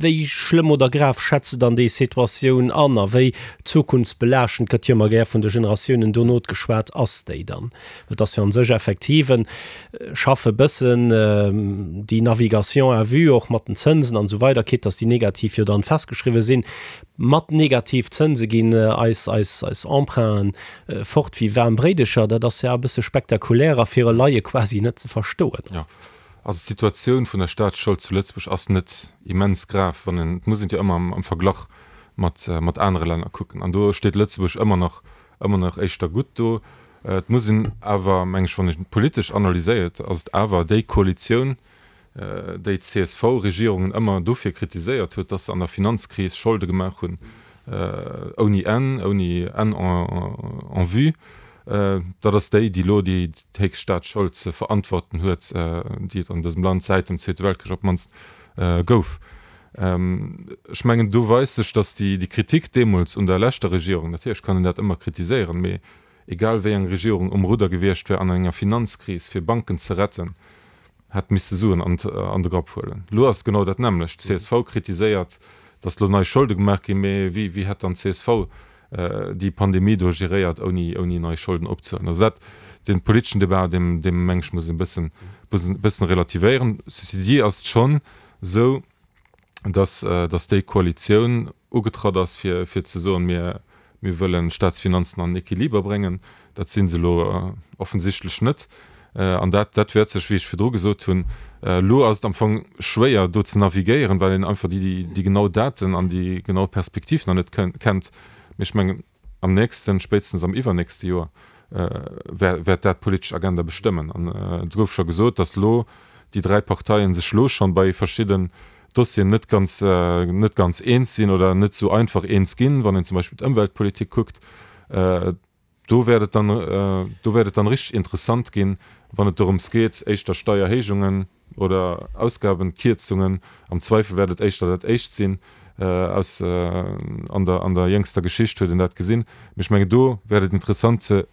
Wéi schlëmm oder grav schätz de dann déi Situatioun an a wéi zukunftsbelaaschtend, gëtt jo ëmmer gär vun de Generatiounen dono geschwat, ass déi dann? Et ass jo an sech effektiv en schaffe bëssen déi Navigation à vue och mat den Zënsen an esou weider, quitte dass déi negativ jo dann festgeschriwwen sinn. Mat negativ Zënse ginn eis eis eis Emprunten fort wéi waarm Bréidecher. Dat ass jo e bësse spektakulär a fir e Laie quasi net ze verstoen. Jo, also d'Situatioun vun der Staatsschold zu Lëtzebuerg ass net immens grav, wann een, et muss een et jo ëmmer am Verglach mat mat anere Länner kucken an do steet Lëtzebuerg ëmmer nach ëmmer nach éischter gutt do. Et muss een awer, meng ech, wann een et politesch analyséiert, ass et awer déi Koalitioun, déi d'C S V-Regierungen ëmmer dofir kritiséiert huet, dass se an der Finanzkris Scholde gemaach hunn ouni Enn, ouni Enn en vue. Dat ass déi, déi elo déi héchst Staatsschold ze verantworten huet, déi et an dësem Land säit dem Zweete Weltkrich op d'mannst gouf. Ech mengen, do weist sech, dass déi Kritik deemools un der leschter Regierung, natierlech kann een dat ëmmer kritiséieren, mee egal wéi eng Regierung um Rudder gewiescht wär an enger Finanzkris, fir Banken ze retten, hätt misste Suen an de Grapp huelen. Elo ass et genau dat nämmlecht. D'C S V kritiséiert, datt elo nei Scholde gemaach ginn, mee wéi wéi hätt dann d'C S V déi Pandemie do geréiert, ouni ouni nei Scholden opzehuelen? Also dat, dee politeschen Debat, deem deem meng ech, muss een e bëssen bëssen relativéieren. Ceci dit ass et schonn esou, datt datt déi Koalitioun ugetratt ass, fir fir ze soen, mir Mir wëllen d'Staatsfinanzen an den Equiliber bréngen. Dat si se elo offensichtlech net. An dat, dat wäert sech, wéi ech virdru gesot hunn, elo ass et am Fong schwéier do ze navigéieren, well een einfach déi, déi genau Daten an déi genau Perspektiv nach net kennt. Mee ech mengen, am nächsten, spéitstens am iwwernächste Joer wäert dat d'politesch Agenda bestëmmen. An et gouf scho gesot, datt elo déi dräi Parteien sech elo schonn bei verschidden Dossieren net ganz net ganz eens sinn oder net esou einfach eens ginn, wann een zum Beispill d'Ëmweltpolitik kuckt. Do wäert et dann do wäert et dann richteg interessant ginn, wann et dorëms geet, éischter Steierhéijungen oder Ausgabenkierzungen, am Zweifel wäert et éischter dat éischt sinn, aus an der an der jéngster Geschicht huet een dat gesinn. Mee ech mengen, do wäert et interessant ze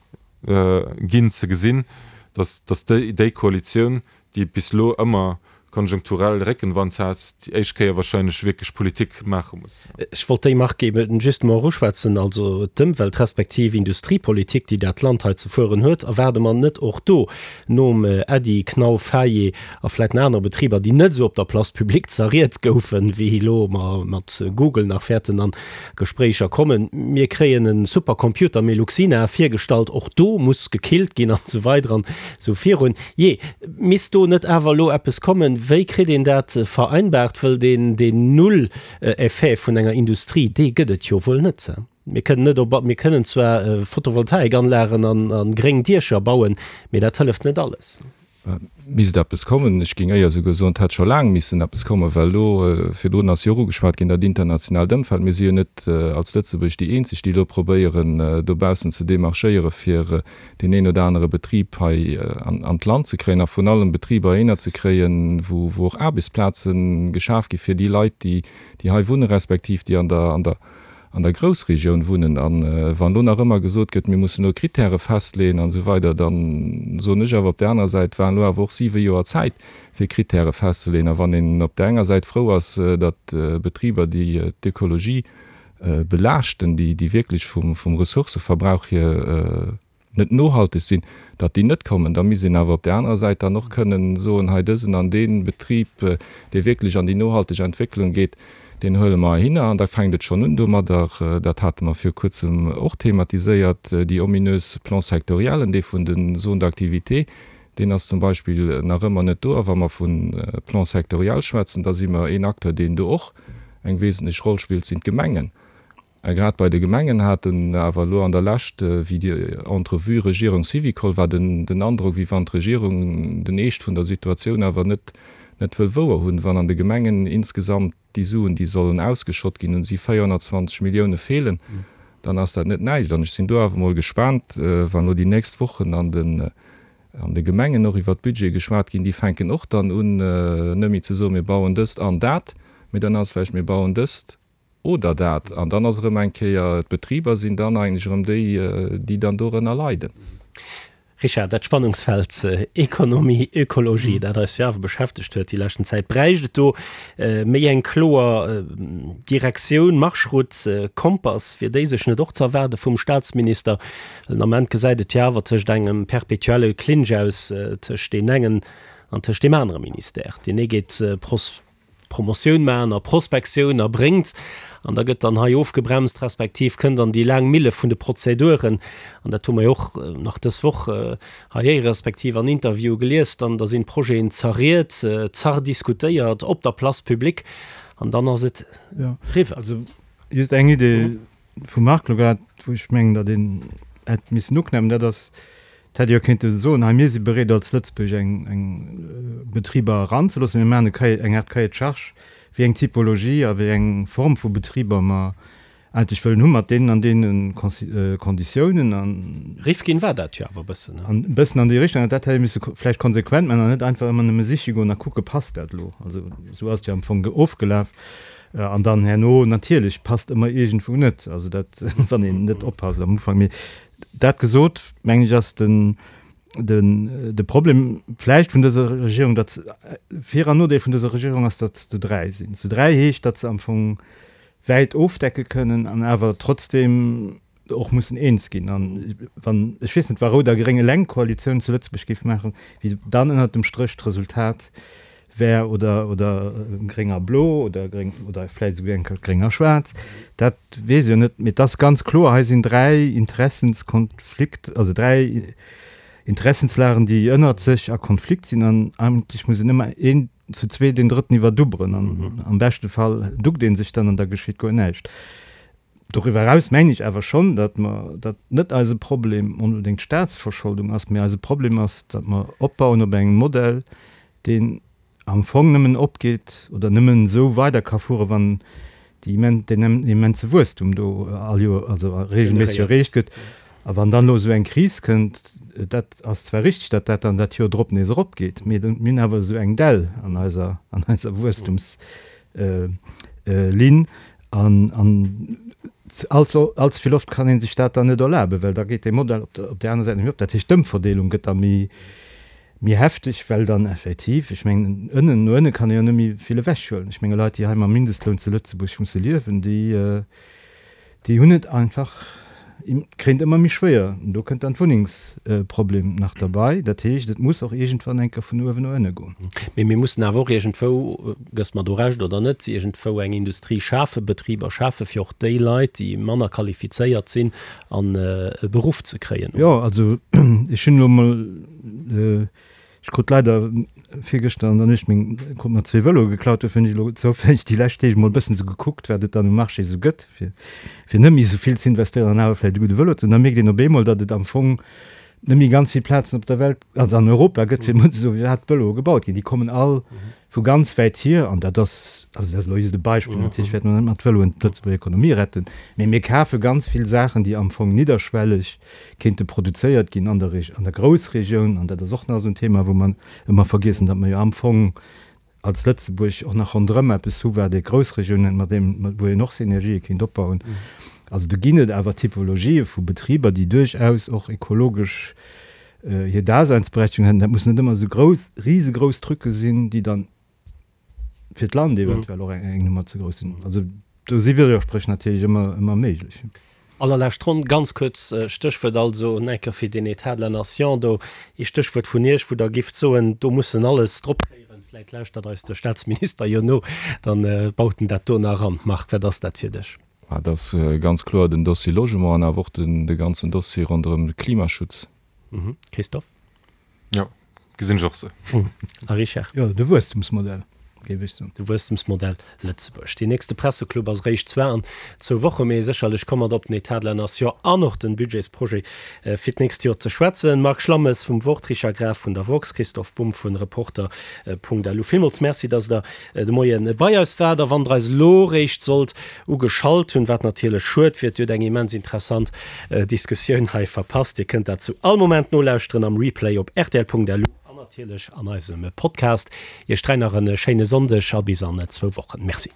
ginn ze gesinn, datt datt déi déi Koalitioun, déi bis elo ëmmer konjunkturell Réckenwand hat, déi éischt Kéier wahrscheinlech wierklech Politik maache muss. Ech wollt déi Mark eben just emol eruschwätzen, also d'Ëmwelt respektiv Industriepolitik, déi dat Land hei ze fueren huet. Erwaarde mer net och do nom Äddi Knauf, Faye a vläicht nach anere Betriber, déi net esou op der Place publique zerriet goufen, wéi elo mer mat Google nach wäerten an Gespréicher kommen, mir kréien e Supercomputer Meluxina virgestallt, och do muss gekillt ginn an esou weider an esou virun. Jee, misst do net awer elo eppes kommen? Wéi kritt een dat vereinbart? Wëll deen, deen Null-Effet vun enger Industrie, dee gëtt et jo wuel net. Mir kënnen net op, mir kënnen zwar Photovoltaikanlagen an, an gréng Diecher bauen, mee dat hëlleft net alles. Misst eppes kommen. Ech géing éier esouguer soen, et hätt scho laang missen eppes kommen, well elo, virdrun ass jo och ugeschwat ginn, dat internationaalt Ëmfeld, mir si jo net als Lëtzebuerg déi eenzeg, déi elo probéieren, dobaussen ze demarchéieren, fir deen een oder anere Betrib hei an d'Land ze kréien a vrun allem Betriber heihinner ze kréien, wou och Aarbechtsplaze geschaf gi fir déi Leit, déi hei wunnen, respektiv déi an der, an der, an der Groussregioun wunnen. A wann elo nach ëmmer gesot gëtt, mir mussen elo Kritäre festleeën an esou weider, da soen ech awer op där anerer Säit, waren elo awer och siwe Joer Zäit, fir Kritäre festzeleeën. A wann een op där enger Säit frou ass, datt Betriber, déi d'Ökologie belaaschten, déi déi wierklech vum vum Ressourcëverbrauch hier net nohalteg sinn, datt déi net kommen. Da misst een awer op där anerer Säit dann och kënnen soen, hei dësen an dee Betrib, dee wierklech an déi nohalteg Entwécklung geet, deen huele mer heihinner. An da fänkt et schonn un domadder, dat hate mer viru Kuerzem och thematiséiert, déi ominös Plan-sectoriellen, dee vun den Zones d'activité, deen ass zum Beispill nach ëmmer net do. A wa mer vu Plan sectoriel schwätzen, da si mer een Acteur, deen do och eng wesentlech Roll spillt, sinn d'Gemengen. A grad bei de Gemengen haten awer elo an der Lescht, wéi déi Entrevue Regierung-Syvicol war, den Androck, wéi wann d'Regierung den Eescht vun der Situatioun awer net net wëll wouer hunn. Wann an de Gemengen insgesamt déi Suen, déi sollen ausgeschott ginn, un si véierhonnertzwanzeg Millioune feelen, dann ass dat net näischt. An ech sinn do awer emol gespaant, wann elo déi nächst Wochen an den an de Gemengen och iwwert d'Budgete geschwat ginn, déi fänken och dann un, net méi ze soen, mir bauen dëst an dat, mee dann ass vläicht, mir bauen dëst oder dat. An dann ass erëm eng Kéier, d'Betriber sinn dann eigentlech erëm déi, déi dann dorënner leiden. Richard, dat Spannungsfeld Ekonomie, Ökologie, dat eis jo awer beschäftegt huet déi leschten Zäit, bräicht et do méi eng kloer Direktioun, Marschroute, Kompass? Wier déi sech net och ze erwaarde vum Staatsminister? Well den Ament gesäit et jo awer tëscht engem perpetuelle Clinch aus tëscht deem engen an tëscht deem anere Ministère. Deen ee geet Promotioun maachen a Prospektioun a bréngt, an da gëtt dann hei ofgebremst, respektiv kënnt an déi laang Mille vun de Prozeduren, an dat hu mer jo och nach dës Woch hei héiere respektiv an Interviewe gelies, dann da sinn d'Projeten zerriet, zerdiskutéiert op der Place publique an dann ass et eriwwer. Also just eng Idee vum Marc elo grad, wou ech mengen, datt een hätt missen uknäppen, dat ass, Et hätt ee jo kéinte soen, hei mir si bereet als Lëtzebuerg eng eng Betriber eranzeloossen, mir maachen e Cahier, eng Art Cahier de charges, wéi eng Typologie a wéi eng Form vu Betriber mer eigentlech wëllen hu mat deenen an deene Konditiounen an. Rifkin war dat jo awer e bëssen, ne? An e bëssen an déi Richtung. An dat hätt ee misse vläicht konsequent maachen an net einfach ëmmer nëmme siche goen a kucke passt dat elo. Also esou ass et jo am Fong ofgelaf. An dann herno natierlech passt ëmmer iergendwou net, also dat wann een net oppasst am Ufank. Mee dat gesot, mengen ech, ass den, den, de Problem vläicht vun dëser Regierung, datt se, Vir an Nodeel vun dëser Regierung ass, datt se zu dräi sinn. Zu dräi heescht, datt se am Fong wäit ofdecke kënnen an awer trotzdeem och mussen eens ginn. An wann, ech weess net, wa Rout a Gréng eleng Koalitioun zu Lëtzebuerg géif maachen, wéi dann ënnert dem Stréch d'Resultat wär, oder, oder Gréng a Blo oder Gréng oder vläicht esouguer eng Kéier Gréng a Schwaarz, dat weess ech jo net. Mee et ass ganz kloer, hei sinn dräi Interessenskonflikt, also dräi Interessenslagen, déi ënnert sech a Konflikt sinn an eigentlech muss een ëmmer een zu zwee deen drëtten iwwerdubberen an am beschte Fall duckt ee sech dann an da geschitt guer näischt. Doriwwer eraus mengen ech awer schonn, datt mer, datt net eise Problem onbedéngt d'Staatsverscholdung ass, mee eise Problem ass, datt mer opbauen op engem Modell, deen am Fong nëmmen opgeet oder nëmmen esou weider ka fuere wann déi immen, deen immense Wuesstum do all Joer, also regelméisseg erreecht gëtt. A wann dann elo esou eng Kris kënnt, dat ass zwar richtig, datt dat dann dat Joer drop nees eropgeet, mee mir hunn awer esou eng Dell an eiser, an eiser Wuesstumslinn an, an allze, allze vill oft kann ee sech dat dann net erlaben, well da geet dee Modell op der, op där aner Säit net méi op. Dat heescht, d'Ëmverdeelung gëtt da méi, méi hefteg, well dann effektiv, ech mengen, ënnen, no ënne kann ee jo net méi vill ewechhuelen. Ech menge Leit, déi hei mam Mindestloun zu Lëtzebuerg musse liewen, déi, déi hunn et einfach, kréien et ëmmer méi schwéier. An do kënnt dann d'Wunnengsproblem nach derbei. Dat heescht, et muss och iergendwann eng Kéier vun uewen no ënne goen. Mee mir mussen awer och iergendwou, gëss mer do Recht oder net, iergendwou eng Industrie schafen, Betriber schafen, fir och déi Leit, déi manner qualifizéiert sinn, an e Beruff ze kréien. Jo, also ech hunn elo emol, ech krut leider virgëschter an der Nuecht meng, krut mer zwee Vëloe geklaut, dofir hunn ech elo zoufälleg déi lescht Deeg emol e bëssen esou gekuckt, wat et dann um Marché esou gëtt, fir, fir net méi esou vill ze investéieren an awer vläicht e gudde Vëlo ze hunn. Da mierkt een op eemol, datt et am Fong net méi ganz vill Plazen op der Welt, also an Europa gëtt, fir emol ze soen, firwat d'Vëloe gebaut ginn. Déi kommen all vu ganz wäit hier an dat ass, also dat ass elo just e Beispill, natierlech wäerte mer net mat Vëloen d'Lëtzebuerger Ekonomie retten, mee mir kafe ganz vill Saachen, déi am Fong nidderschwelleg kéinte produzéiert ginn an der an der Groussregioun an dat ass och nach esou en Thema, wou mer ëmmer vergiessen, datt mer jo am Fong als Lëtzebuerg och nach ronderëm eppes hu wat ee Groussregioun nennt, mat deem, wou een och Synergië kéint opbauen. Also do ginn et awer Typologië vu Betriber, déi duerchaus och ekologesch hir Daseinsberechtigung hätten. Dat mussen net ëmmer esou grouss, risegrouss Trucke sinn, déi dann fir d'Land eventuell och eng Nummer ze grouss sinn. Also do si Widderspréch natierlech ëmmer, ëmmer méiglech. Allerlescht Ronn, ganz kuerz, Stéchwuert also en enker fir den État de la Nation do, ee Stéchwuert vun Iech, wou Der gifft soen, do muss en alles drop kréien. Vläicht lauschtert eis de Staatsminister jo no, dann baut en dat do nach eran. Marc, wat ass dat fir dech? Dat ass ganz kloer den Dossier Logement an awer och de ganzen Dossier ronderëm de Klimaschutz. Christophe? Jo, gesinn ech och sou. A Richard? Jo, de Wuesstumsmodell, géif ech soen. De Wuesstumsmodell Lëtzebuerg. Deen nächste Presseclub ass eréischt zwar an zwou Woche, mee sécherlech komme mer op den État de la Nation an och den Budgetsprojet fir d'nächst Joer ze schwätzen. Marc Schlammes vum Wort, Richard Graf vun der woxx, Christoph Bumb vun Reporter Punkt lu. Villmools Merci, dass Der de Moie bei eis waart. A wann Der eis elo réischt sollt ugeschalt hunn, wat natierlech schued wier, Dir hutt eng immens interessant Diskussioun hei verpasst. Dir kënnt dat zu all Moment nolauschteren am Replay op rtl.lu an natierlech an eisem Podcast. Iech dräi nach e schéine Sonndeg a bis an zwou Wochen. Merci.